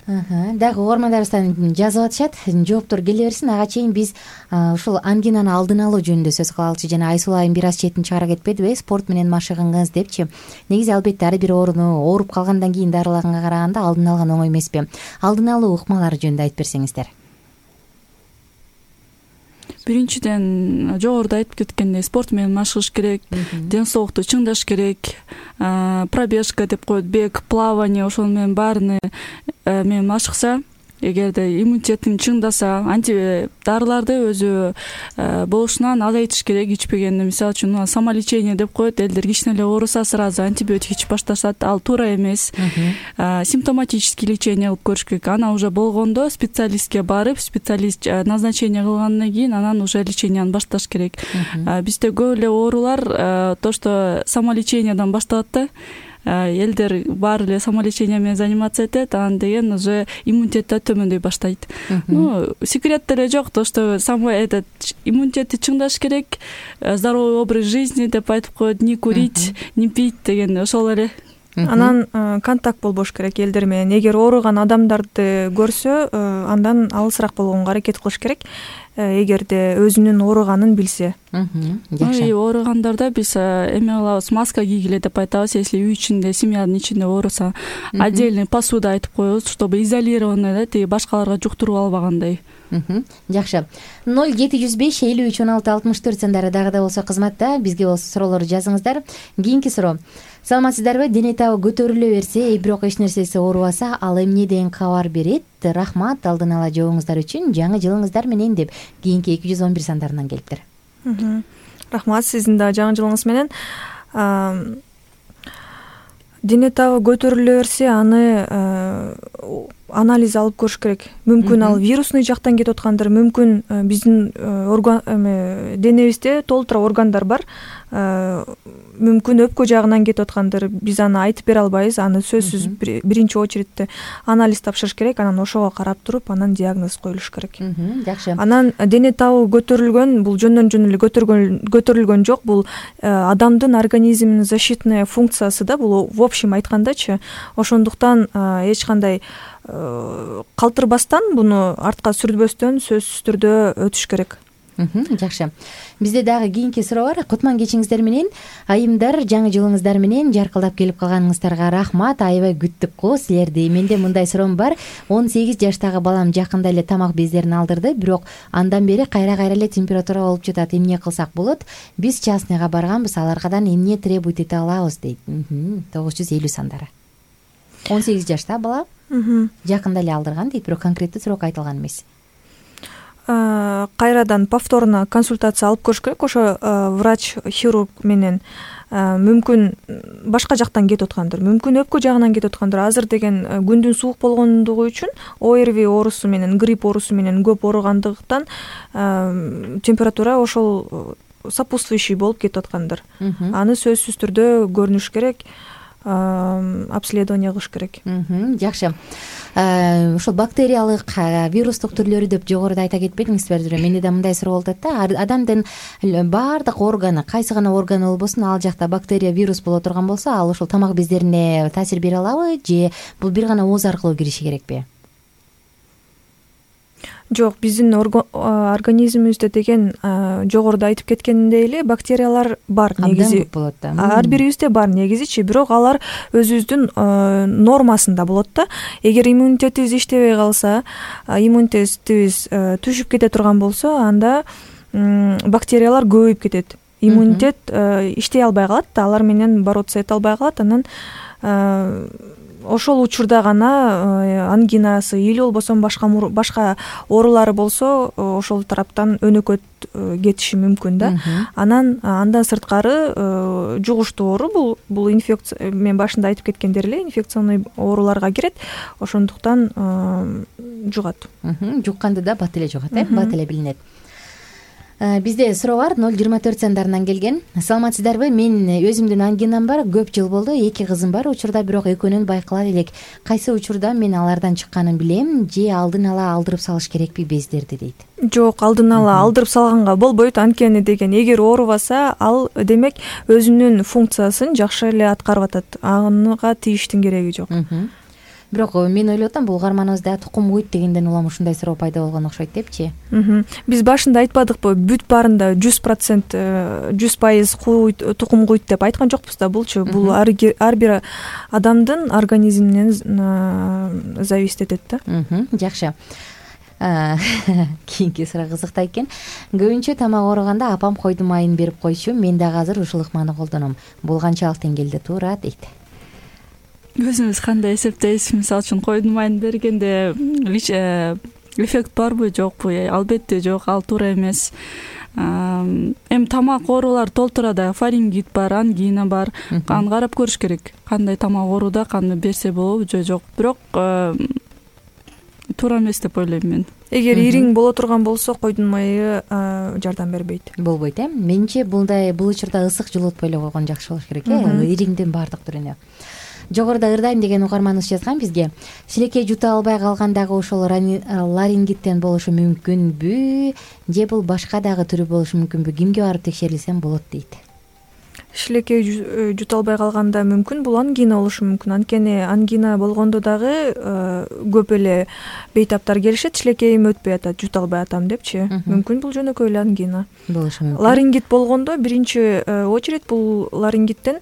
Дагы угармандарыбыздан жазып атышат, жооптор келе берсин. Ага чейин биз ушул ангинаны алдын алуу жөнүндө сөз кылалычы. Жана Айсулуу айым бир аз четин чыгара кетпедиби? Спорт менен машыгыңыз депчи. Негизи албетте ар бир ооруп калгандан кийин дарылаганга караганда алдын алган оңой эмеспи? Алдын алуу ыкмалары жөнүндө айтып берсеңиздер.
Биринчиден, жогоруда айтып кеткендей, спорт менен машыгыш керек, ден соолукту чыңдаш керек, пробежка деп коет, бег, плавание, ошол менен баарыны менен машыкса, эгерде иммунитетин чыңдаса, дарыларды өзү болушунан азайтыш керек. Ичпегенде, мисалы үчүн, самолечение деп коет, элдер кичине эле ооруса сразу антибиотик ичип башташат, ал туура эмес. Симптоматический лечение кылып көрүш керек. Анан уже болгондо специалистке барып, специалист назначение кылгандан кийин анан уже леченияны башташ керек. Бизде көп эле оорулар то, что самолечениеден башталат да. Элдер баары эле самолечение менен заниматься этет, анан деген уже иммунитет да төмөндөй баштайт. Секрет деле жок, то, что иммунитетти чыңдаш керек, здоровый образ жизни деп айтып коет, не курить, не пить деген ошол эле.
Анан контакт болбош керек элдер менен. Эгер ооруган адамдарды көрсө, андан алысыраак болгонго аракет кылыш керек. Эгерде өзүнүн ооруганын билсе.
Жакшы.
Ооругандарда биз эме кылабыз, маска кийгиле деп айтабыз. Если үй ичинде, семьянын ичинде ооруса, отдельный посуда айтып коебуз, чтобы изолированный тиги башкаларга жуктуруп албагандай.
Жакшы. 0705531664 сандары дагы да болсо кызматта, бизге болсо суроолорду жазыңыздар. Кийинки суроо. Саламатсыздарбы? Дене табы көтөрүлө берсе, бирок эч нерсеси оорубаса, ал эмне деген кабар берет? Рахмат алдын ала жообуңуздар үчүн, жаңы жылыңыздар менен деп кийинки 211 сандарынан келиптир.
Рахмат, сиздин да жаңы жылыңыз менен. Дене табы көтөрүлө берсе, аны анализ алып көрүш керек. Мүмкүн ал вирусный жактан кетип аткандыр, мүмкүн биздин денебизде толтура органдар бар. Мүмкүн өпкө жагынан кетип аткандыр. Биз аны айтып бере албайбыз. Аны сөзсүз биринчи очередте анализ тапшырыш керек, анан ошого карап туруп, анан диагноз коюлуш керек.
Жакшы.
Анан дене табы көтөрүлгөн, бул жөндөн жөн эле көтөрүлгөн жок, бул адамдын организминин защитный функциясы да, бул в общем айткандачы. Ошондуктан эч кандай калтырбастан, буну артка сүрбөстөн сөзсүз түрдө өтүш керек.
Жакшы. Бизде дагы кийинки суроо бар. Кутман кечиңиздер менен, айымдар, жаңы жылыңыздар менен жаркылдап келип калганыңыздарга рахмат. Аябай күттүк го силерди. Менде мындай суроом бар. 18 жаштагы балам жакында эле тамак бездерин алдырды, бирок андан бери кайра эле температура болуп жатат. Эмне кылсак болот? Биз частныйга барганбыз, аларгадан эмне требует эте алабыз дейт. 950 сандары. 18 жашта бала жакында эле алдырган дейт, бирок конкреттүү суроо айтылган эмес.
Кайрадан повторно консультация алып көрүш керек. Ошо врач-хирург менен мүмкүн башка жактан кетип аткандыр, мүмкүн өпкө жагынан кетип аткандыр. Азыр деген күндүн суук болгондугу үчүн ОРВИ оорусу менен, грипп оорусу менен көп ооругандыктан температура ошол сопутствующий болуп кетип аткандыр. Аны сөзсүз түрдө көрүнүш керек, обследование кылыш керек.
Жакшы. Ошол бактериялык, вирустук түрлөрү деп жогоруда айта кетпедиңизби? Менде да мындай суроо болот да. Адамдын баардык органы, кайсы гана органы болбосун, ал жакта бактерия, вирус боло турган болсо, ал ошол тамак бездерине таасир бере алабы, же бул бир гана ооз аркылуу кириши керекпи?
Жок, биздин организмибизде деген жогоруда айтып кеткендей эле бактериялар бар негизи. Ар бирибизде бар негизичи, бирок алар өзүбүздүн нормасында болот да. Эгер иммунитетибиз иштебей калса, иммунитетибиз түшүп кете турган болсо, анда бактериялар көбөйүп кетет. Иммунитет иштей албай калат да, алар менен бороться эте албай калат. Анан ошол учурда гана ангинасы или болбосо башка оорулары болсо, ошол тараптан өнөкөт кетиши мүмкүн да. Андан сырткары жугуштуу оору, бул инфекция, мен башында айтып кеткендер эле, инфекционный ооруларга кирет. Ошондуктан жугат.
Жукканды да бат эле жугат, бат эле билинет. Бизде суроо бар, 024 сандарынан келген. Саламатсыздарбы? Мен өзүмдүн ангинам бар, көп жыл болду, 2 кызым бар. Учурда бирок экөөнөн байкалат элек. Кайсы учурда мен алардан чыкканын билем, же алдын ала алдырып салыш керекпи бездерди дейт.
Жок, алдын ала алдырып салганга болбойт. Анткени деген, эгер оорубаса, ал демек өзүнүн функциясын жакшы эле аткарып атат. Анга тийиштин кереги жок.
бирок мен ойлоп атам бул угарманыбыз дагы тукум куйт дегенден улам ушундай суроо пайда болгон окшойт депчи.
Биз башында айтпадыкпы, бүт баарында 100% 100% тукум куйт деп айткан жокпуз да. Булчу бул ар бир адамдын организминен зависит этет да.
Жакшы. Кийинки суроо кызыктуу экен. Көбүнчө тамак ооруганда апам койдун майын берип койчу, мен дагы азыр ушул ыкманы колдоном. Бул канчалык деңгээлде туура дейт.
Өзүбүз кандай эсептейбиз? Мисалы үчүн койдун майын бергенде эффект барбы, жокпу? Албетте жок, ал туура эмес. Эми тамак оорулар толтурада фарингит бар, ангина бар. Аны карап көрүш керек. Кандай тамак ооруда каны берсе болобу же жок. Бирок туура эмес деп ойлойм мен.
Эгер ириң боло турган болсо койдун майы жардам бербейт.
Болбойт, Менимче бул учурда ысык жылытпай эле койгон жакшы болуш керек, ириңдин баардык түрүнө. Жогоруда ырдайм деген угарманыбыз жазган бизге. Шилекей жута албай калгандагы ошол ларингиттен болушу мүмкүнбү? Же бул башка дагы түрү болушу мүмкүнбү? Кимге барып текшерилсем болот дейт.
Шилекей жута албай калганда мүмкүн, бул ангина болушу мүмкүн. Анткени ангина болгондо дагы көп эле бейтаптар келишет, шилекейим өтпөй атат, жута албай атам депчи. Мүмкүн бул жөнөкөй эле ангина
болушу мүмкүн.
Ларингит болгондо биринчи очередь бул ларингиттен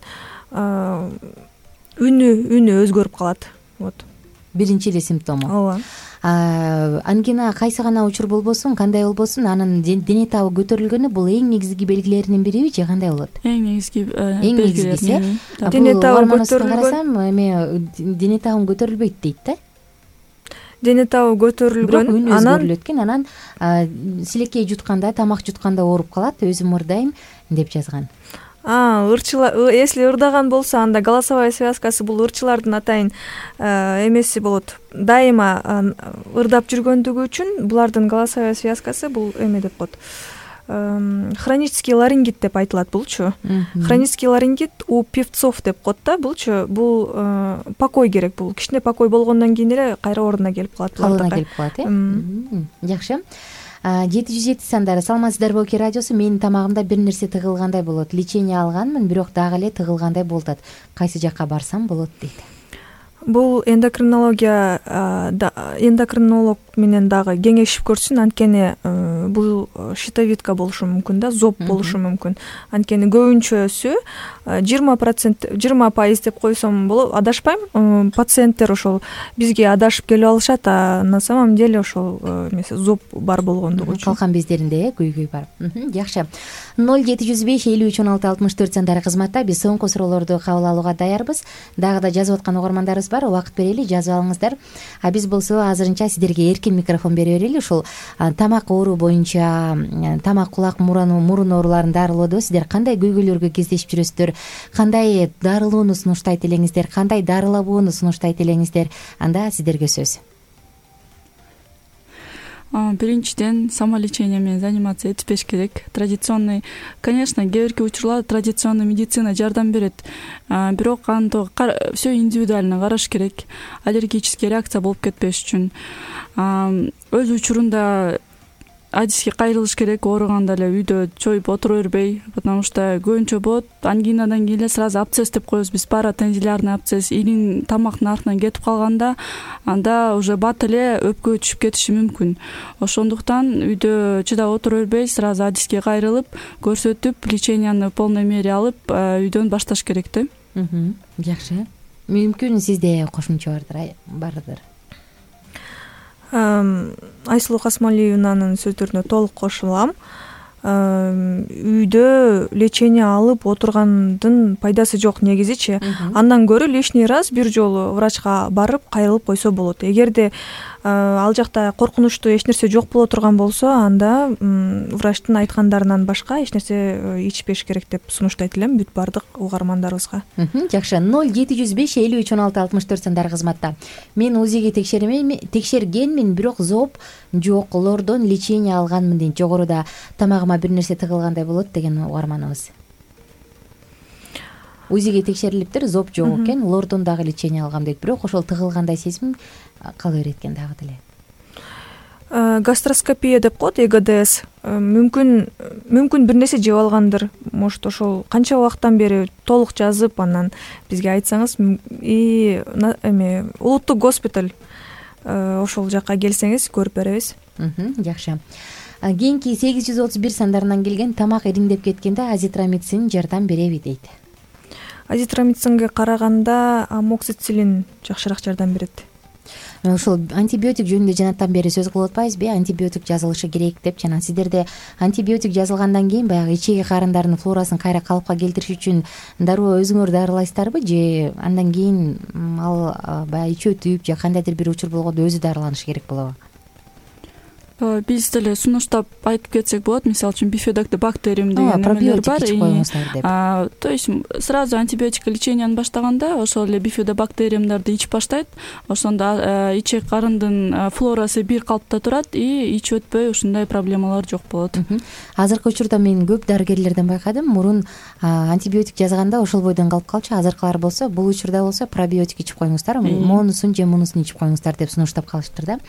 үнү өзгөрүп калат. Вот.
Биринчи эле симптому.
Ооба.
Ангина кайсы гана учур болбосун, кандай болбосун, анын дене табы көтөрүлгөнү бул эң негизги белгилеринин бириби же кандай болот?
Эң негизги
белгиси.
Дене табы көтөрүлгөн.
Карасам, эми дене табым көтөрүлбөйт дейт да.
Дене табы көтөрүлгөн,
анан өзгөрүлөт экен, анан силекей жутканда, тамак жутканда ооруп калат, өзүм ырдайм деп жазган. Если
ырдаган болсо, анда голосовая связкасы бул ырчылардын атайын эмеси болот. Дайыма ырдап жүргөндүгү үчүн булардын голосовая связкасы бул эме деп коет. Хронический ларингит деп айтылат булчу. Хронический ларингит у певцов деп коет да. Булчу бул покой керек, бул кичине покой болгондон кийин эле кайра ордуна келип калат.
Калыбына келип калат, Жакшы. 707 сандары. Саламатсыздарбы, Оки радиосу. Менин тамагымда бир нерсе тыгылгандай болот. Лечение алганмын, бирок дагы эле тыгылгандай болуп атат. Кайсы жакка барсам болот дейт.
Бул эндокринолог менен дагы кеңешип көрсүн. Анткени бул щитовидка болушу мүмкүн да, зоб болушу мүмкүн. Анткени көбүнчөсү 20% деп койсом болот. Адашпайм, пациенттер ошол бизге адашып келип алышат, а на самом деле ошол зоб бар болгондугу үчүн.
Калкан бездеринде көйгөй бар. Жакшы. 0705 53 16 64 сандары кызматта биз соңку суроолорду кабыл алууга даярбыз. Дагы да жазып аткан угармандарыбыз бар, убакыт берели, жазып алыңыздар. Биз болсо азырынча сиздерге эркин микрофон бере берели. Ушул тамак оору боюнча, тамак, кулак, мурун ооруларын дарылоодо сиздер кандай көйгөйлөргө кездешип жүрөсүздөр, кандай дарылоону сунуштайт элеңиздер, кандай дарылабоону сунуштайт элеңиздер, анда сиздерге сөз.
Биринчиден, самолечение менен заниматься этпеш керек. Традиционный, конечно, кээ бирки учурларда традиционный медицина жардам берет, бирок аны все индивидуально караш керек. Аллергический реакция болуп кетпеш үчүн. Өз учурунда адиске кайрылыш керек, ооруганда эле үйдө чоюп отура бербей, потому что көбүнчө болот. Ангинадан кийин эле сразу абсцесс деп коебуз биз, паратензилярный абсцесс. Ириң тамактын артынан кетип калганда, анда уже бат эле өпкөгө түшүп кетиши мүмкүн. Ошондуктан үйдө чыдап отура бербей, сразу адиске кайрылып, көрсөтүп, леченияны в полной мере алып, үйдөн башташ керек да.
Жакшы. Мүмкүн сизде кошумча бардыр.
Айсулуу Касмалиевнанын сөздөрүнө толук кошулам. Үйдө лечение алып отургандын пайдасы жок негизичи. Андан көрө лишний раз бир жолу врачка барып кайрылып койсо болот. Эгерде ал жакта коркунучтуу эч нерсе жок боло турган болсо, анда врачтын айткандарынан башка эч нерсе ичпеш керек деп сунуштайт элем бүт баардык угармандарыбызга.
Жакшы. 0705 53 16 64 сандары кызматта. Мен УЗИге текшергенмин, бирок зоб жок, лордон лечение алганмын дейт. Жогоруда тамагыма бир нерсе тыгылгандай болот деген угарманыбыз. УЗИге текшерилиптир, зоб жок экен, лордон дагы лечение алгам дейт, бирок ошол тыгылгандай сезим кала берет экен дагы деле.
гастроскопия деп коет, ЭГДС. Мүмкүн бир нерсе жеп алгандыр. Может, ошол канча убакыттан бери толук жазып, анан бизге айтсаңыз, эме улуттук госпиталь ошол жакка келсеңиз көрүп беребиз.
Жакшы. Кийинки 831 сандарынан келген тамак ириңдеп кеткенде азитромицин жардам береби дейт.
Азитромицинге караганда амоксициллин жакшыраак жардам берет.
Ошол антибиотик жөнүндө жанатан бери сөз кылып атпайбызбы? Антибиотик жазылышы керек деп. Жана сиздерде антибиотик жазылгандан кийин баягы ичеги карындардын флорасын кайра калыпка келтириш үчүн дароо өзүңөр дарылайсыздарбы, же андан кийин ал баягы ичи өтүп же кандайдыр бир учур болгондо өзү дарыланышы керек болобу?
Биз деле сунуштап айтып кетсек болот. Мисалы үчүн бифидобактериум деген эмелер бар.
Ичип коюңуздар деп.
То есть сразу антибиотик леченияны баштаганда ошол эле бифидобактериумдарды ичип баштайт. Ошондо ичек карындын флорасы бир калыпта турат и ичип өтпөй ушундай проблемалар жок болот.
Азыркы учурда мен көп дарыгерлерден байкадым, мурун антибиотик жазганда ошол бойдон калып калчу. Азыркылар болсо бул учурда болсо пробиотик ичип коюңуздар, монусун же мунусун ичип коюңуздар деп сунуштап калыштыр да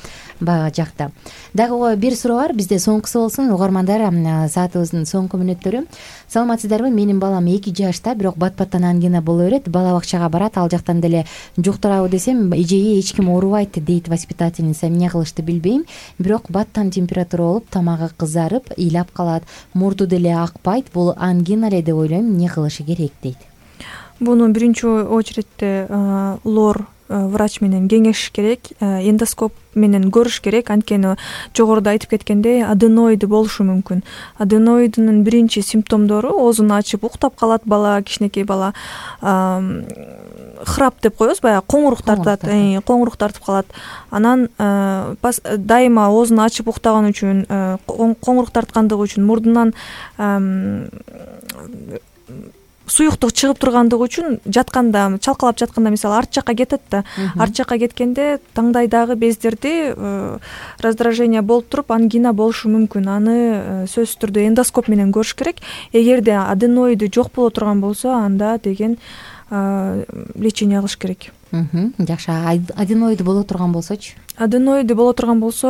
бага жакта. Дагы бир суроо бар, бизде соңкусу болсун. Угармандар, саатыбыздын соңку мүнөттөрү. Саламатсыздарбы? Менин балам 2 жашта, бирок бат-баттан ангина боло берет. Бала бакчага барат, ал жактан деле жуктурабы десем, эжеги эч ким оорубайт дейт воспитательница. Эмне кылышты билбейм, бирок баттан температура болуп, тамагы кызарып, ыйлап калат. Мурду деле акпайт. Бул ангина эле деп ойлойм. Эмне кылышы керек дейт.
Буну биринчи очередте лор врач менен кеңешиш керек, эндоскоп менен көрүш керек. Анткени жогоруда айтып кеткендей, аденоиды болушу мүмкүн. Аденоиддин биринчи симптомдору оозун ачып уктап калат бала, кичинекей бала. Храп деп коебуз, баягы коңурук тартат, коңурук тартып калат. Анан дайыма оозун ачып уктаган үчүн, коңурук тарткандыгы үчүн мурдунан суюктук чыгып тургандыгы үчүн жатканда, чалкалап жатканда мисалы арт жакка кетет да. Арт жакка кеткенде таңдайдагы бездерди раздражение болуп туруп ангина болушу мүмкүн. Аны сөзсүз түрдө эндоскоп менен көрүш керек. Эгерде аденоиды жок боло турган болсо, анда деген лечение алыш керек.
Жакшы. Аденоиды боло турган болсочу?
Аденоиды боло турган болсо,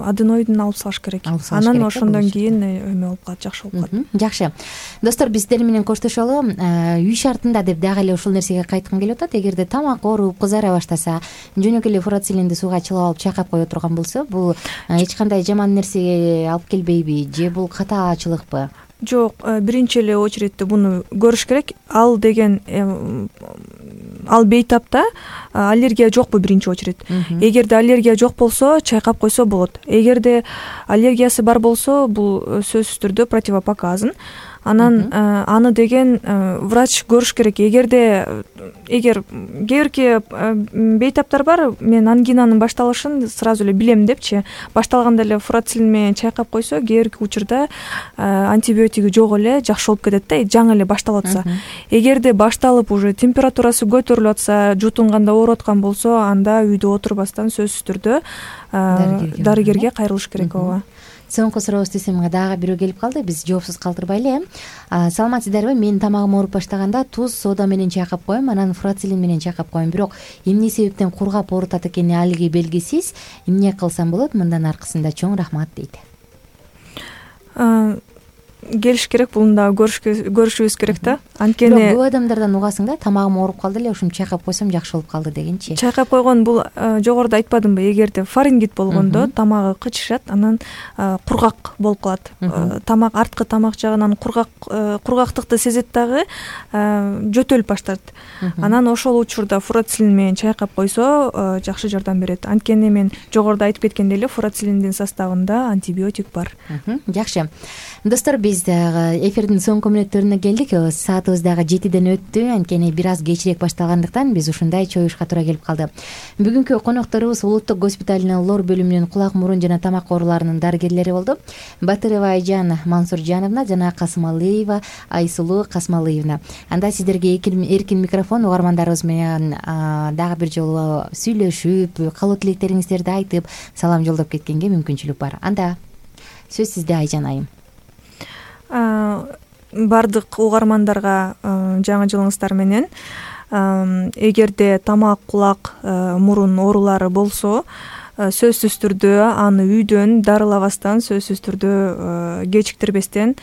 аденоидин алып салыш керек. Анан ошондон кийин эме болуп калат, жакшы болуп калат.
Жакшы. Достор, биз сиздер менен коштошолу. Үй шартында деп дагы эле ушул нерсеге кайткым келип атат. Эгерде тамак ооруп, кызара баштаса, жөнөкөй эле фурацилинди сууга чылап алып чайкап кое турган болсо, бул эч кандай жаман нерсеге алып келбейби, же бул катаачылыкпы?
Жок, биринчи эле очередте буну көрүш керек. Ал деген ал бейтапта аллергия жокпу биринчи очеред. Эгерде аллергия жок болсо, чайкап койсо болот. Эгерде аллергиясы бар болсо, бул сөзсүз түрдө противопоказан. Анан аны деген врач көрүш керек. Эгер кээ бейтаптар бар, мен ангинанын башталышын сразу эле билем депчи, башталганда эле фурацилин менен чайкап койсо, кээинки учурда антибиотиги жок эле жакшы болуп кетет да, жаңы эле башталып атса. Эгерде башталып уже температурасы көтөрүлүп атса, жутунганда ооруп аткан болсо, анда үйдө отурбастан сөзсүз түрдө дарыгерге кайрылыш керек. Ооба.
Соңку сурообуз десем дагы бирөө келип калды. Биз жоопсуз калтырбайлы. Саламатсыздарбы? Менин тамагым ооруп баштаганда туз, сода менен чайкап коем, анан фурацилин менен чайкап коем. Бирок эмне себептен кургап оорутат экени алги белгисиз. Эмне кылсам болот? Мындан аркысында чоң рахмат дейт.
Келиш керек, буну дагы көрүшүбүз керек да. Анткени
көп адамдардан угасың да, тамагым ооруп калды эле, ушуну чайкап койсом жакшы болуп калды дегенчи.
Чайкап койгон бул жогоруда айтпадымбы, эгерде фарингит болгондо тамагы кычышат, анан кургак болуп калат. Тамак, арткы тамак жагынан кургактыкты сезет дагы, жөтөлүп баштайт. Анан ошол учурда фурацилин менен чайкап койсо, жакшы жардам берет. Анткени мен жогоруда айтып кеткендей эле фурацилиндин составында антибиотик бар.
Жакшы. Достор, биз дагы эфирдин соңку мүнөттөрүнө келдик. Саатыбыз дагы 7ден өттү. Анткени бир аз кечирээк башталгандыктан биз ушундай чоюшка туура келип калды. Бүгүнкү конокторубуз улуттук госпиталынын лор бөлүмүнүн кулак, мурун жана тамак ооруларынын дарыгерлери болду. Батырова Айжан Мансуржановна жана Касымалыева Айсулуу Касмалыевна. Анда сиздерге эркин микрофон, угармандарыбыз менен дагы бир жолу сүйлөшүп, каалоо тилектериңиздерди айтып, салам жолдоп кеткенге мүмкүнчүлүк бар. Анда сөз сизде, Айжан айым.
Бардык угармандарга жаңы жылыңыздар менен. Эгерде тамак, кулак, мурун оорулары болсо, сөзсүз түрдө аны үйдөн дарылабастан, сөзсүз түрдө кечиктирбестен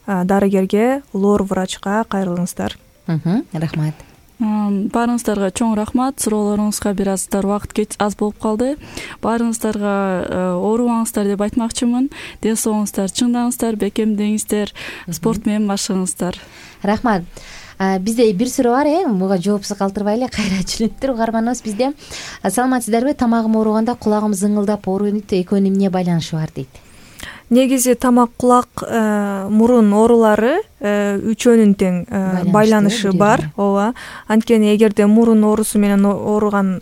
дарыгерге, лор врачка кайрылыңыздар.
Рахмат.
Баарыңыздарга чоң рахмат. Суроолоруңузга бир аздар убакыт аз болуп калды. Баарыңыздарга оорубаңыздар деп айтмакчымын. Ден соолугуңуздар чыңдаңыздар, бекемдеңиздер, спорт менен машыгыңыздар.
Рахмат. Бизде бир суроо бар, буга жоопсуз калтырбайлы. Кайра жөнөттүр угарманыбыз бизде. Саламатсыздарбы? Тамагым ооруганда кулагым зыңылдап ооруйт. Экөөнүн эмне байланышы бар дейт.
Негизи тамак, кулак, мурун оорулары үчөөнүн тең байланышы бар. Ооба. Анткени эгерде мурун оорусу менен ооруган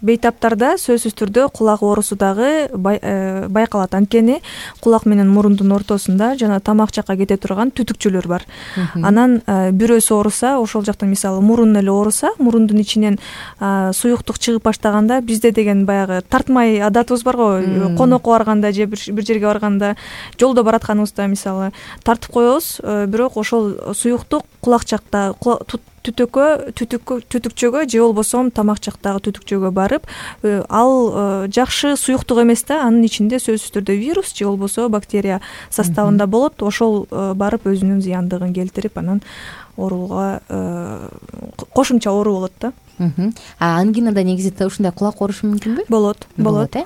бейтаптарда сөзсүз түрдө кулак оорусу дагы байкалат. Анткени кулак менен мурундун ортосунда жана тамак жакка кете турган түтүкчөлөр бар. Анан бирөөсү ооруса, ошол жактан мисалы мурун эле ооруса, мурундун ичинен суюктук чыгып баштаганда, бизде деген баягы тартмай адатыбыз бар го, конокко барганда же бир жерге барганда, жолдо баратканыбызда мисалы тартып коебуз, бирок ошол суюктук кулак жакта түтүкчөгө же болбосо тамак жактагы түтүкчөгө барып, ал жакшы суюктук эмес да, анын ичинде сөзсүз түрдө вирус же болбосо бактерия составында болот. Ошол барып өзүнүн зыяндыгын келтирип, анан ооруга кошумча оору болот да.
Ангинада негизи ушундай кулак оорушу мүмкүнбү?
Болот.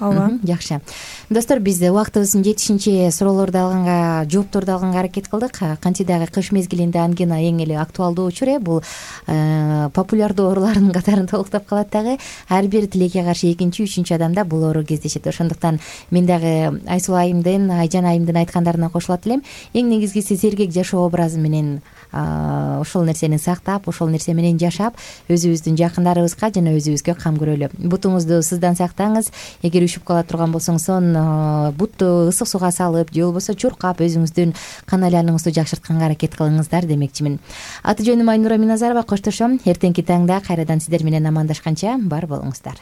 Ооба.
Жакшы. Достор, биз убактыбыздын жетишинче суроолорду алганга, жоопторду алганга аракет кылдык. Кантсе дагы кыш мезгилинде ангина эң эле актуалдуу учур, бул популярдуу оорулардын катарын толуктап калат дагы. Ар бир тилекке каршы экинчи, үчүнчү адамда бул оору кездешет. Ошондуктан мен дагы Айсулуу айымдын, Айжан айымдын айткандарына кошулат элем. Эң негизгиси сергек жашоо образы менен ошол нерсени сактап, ошол нерсе менен жашап, өзүбүздүн жакындарыбызга жана өзүбүзгө кам көрөлү. Бутуңузду сыздан сактаңыз. Эгер ушуп кала турган болсоңуз, бутту ысык сууга салып же болбосо чуркап өзүңүздүн кан айланууңузду жакшыртканга аракет кылыңыздар демекчимин. Аты жөнүм Айнура Миназарова, коштошом. Эртеңки таңда кайрадан сиздер менен амандашканча бар болуңуздар.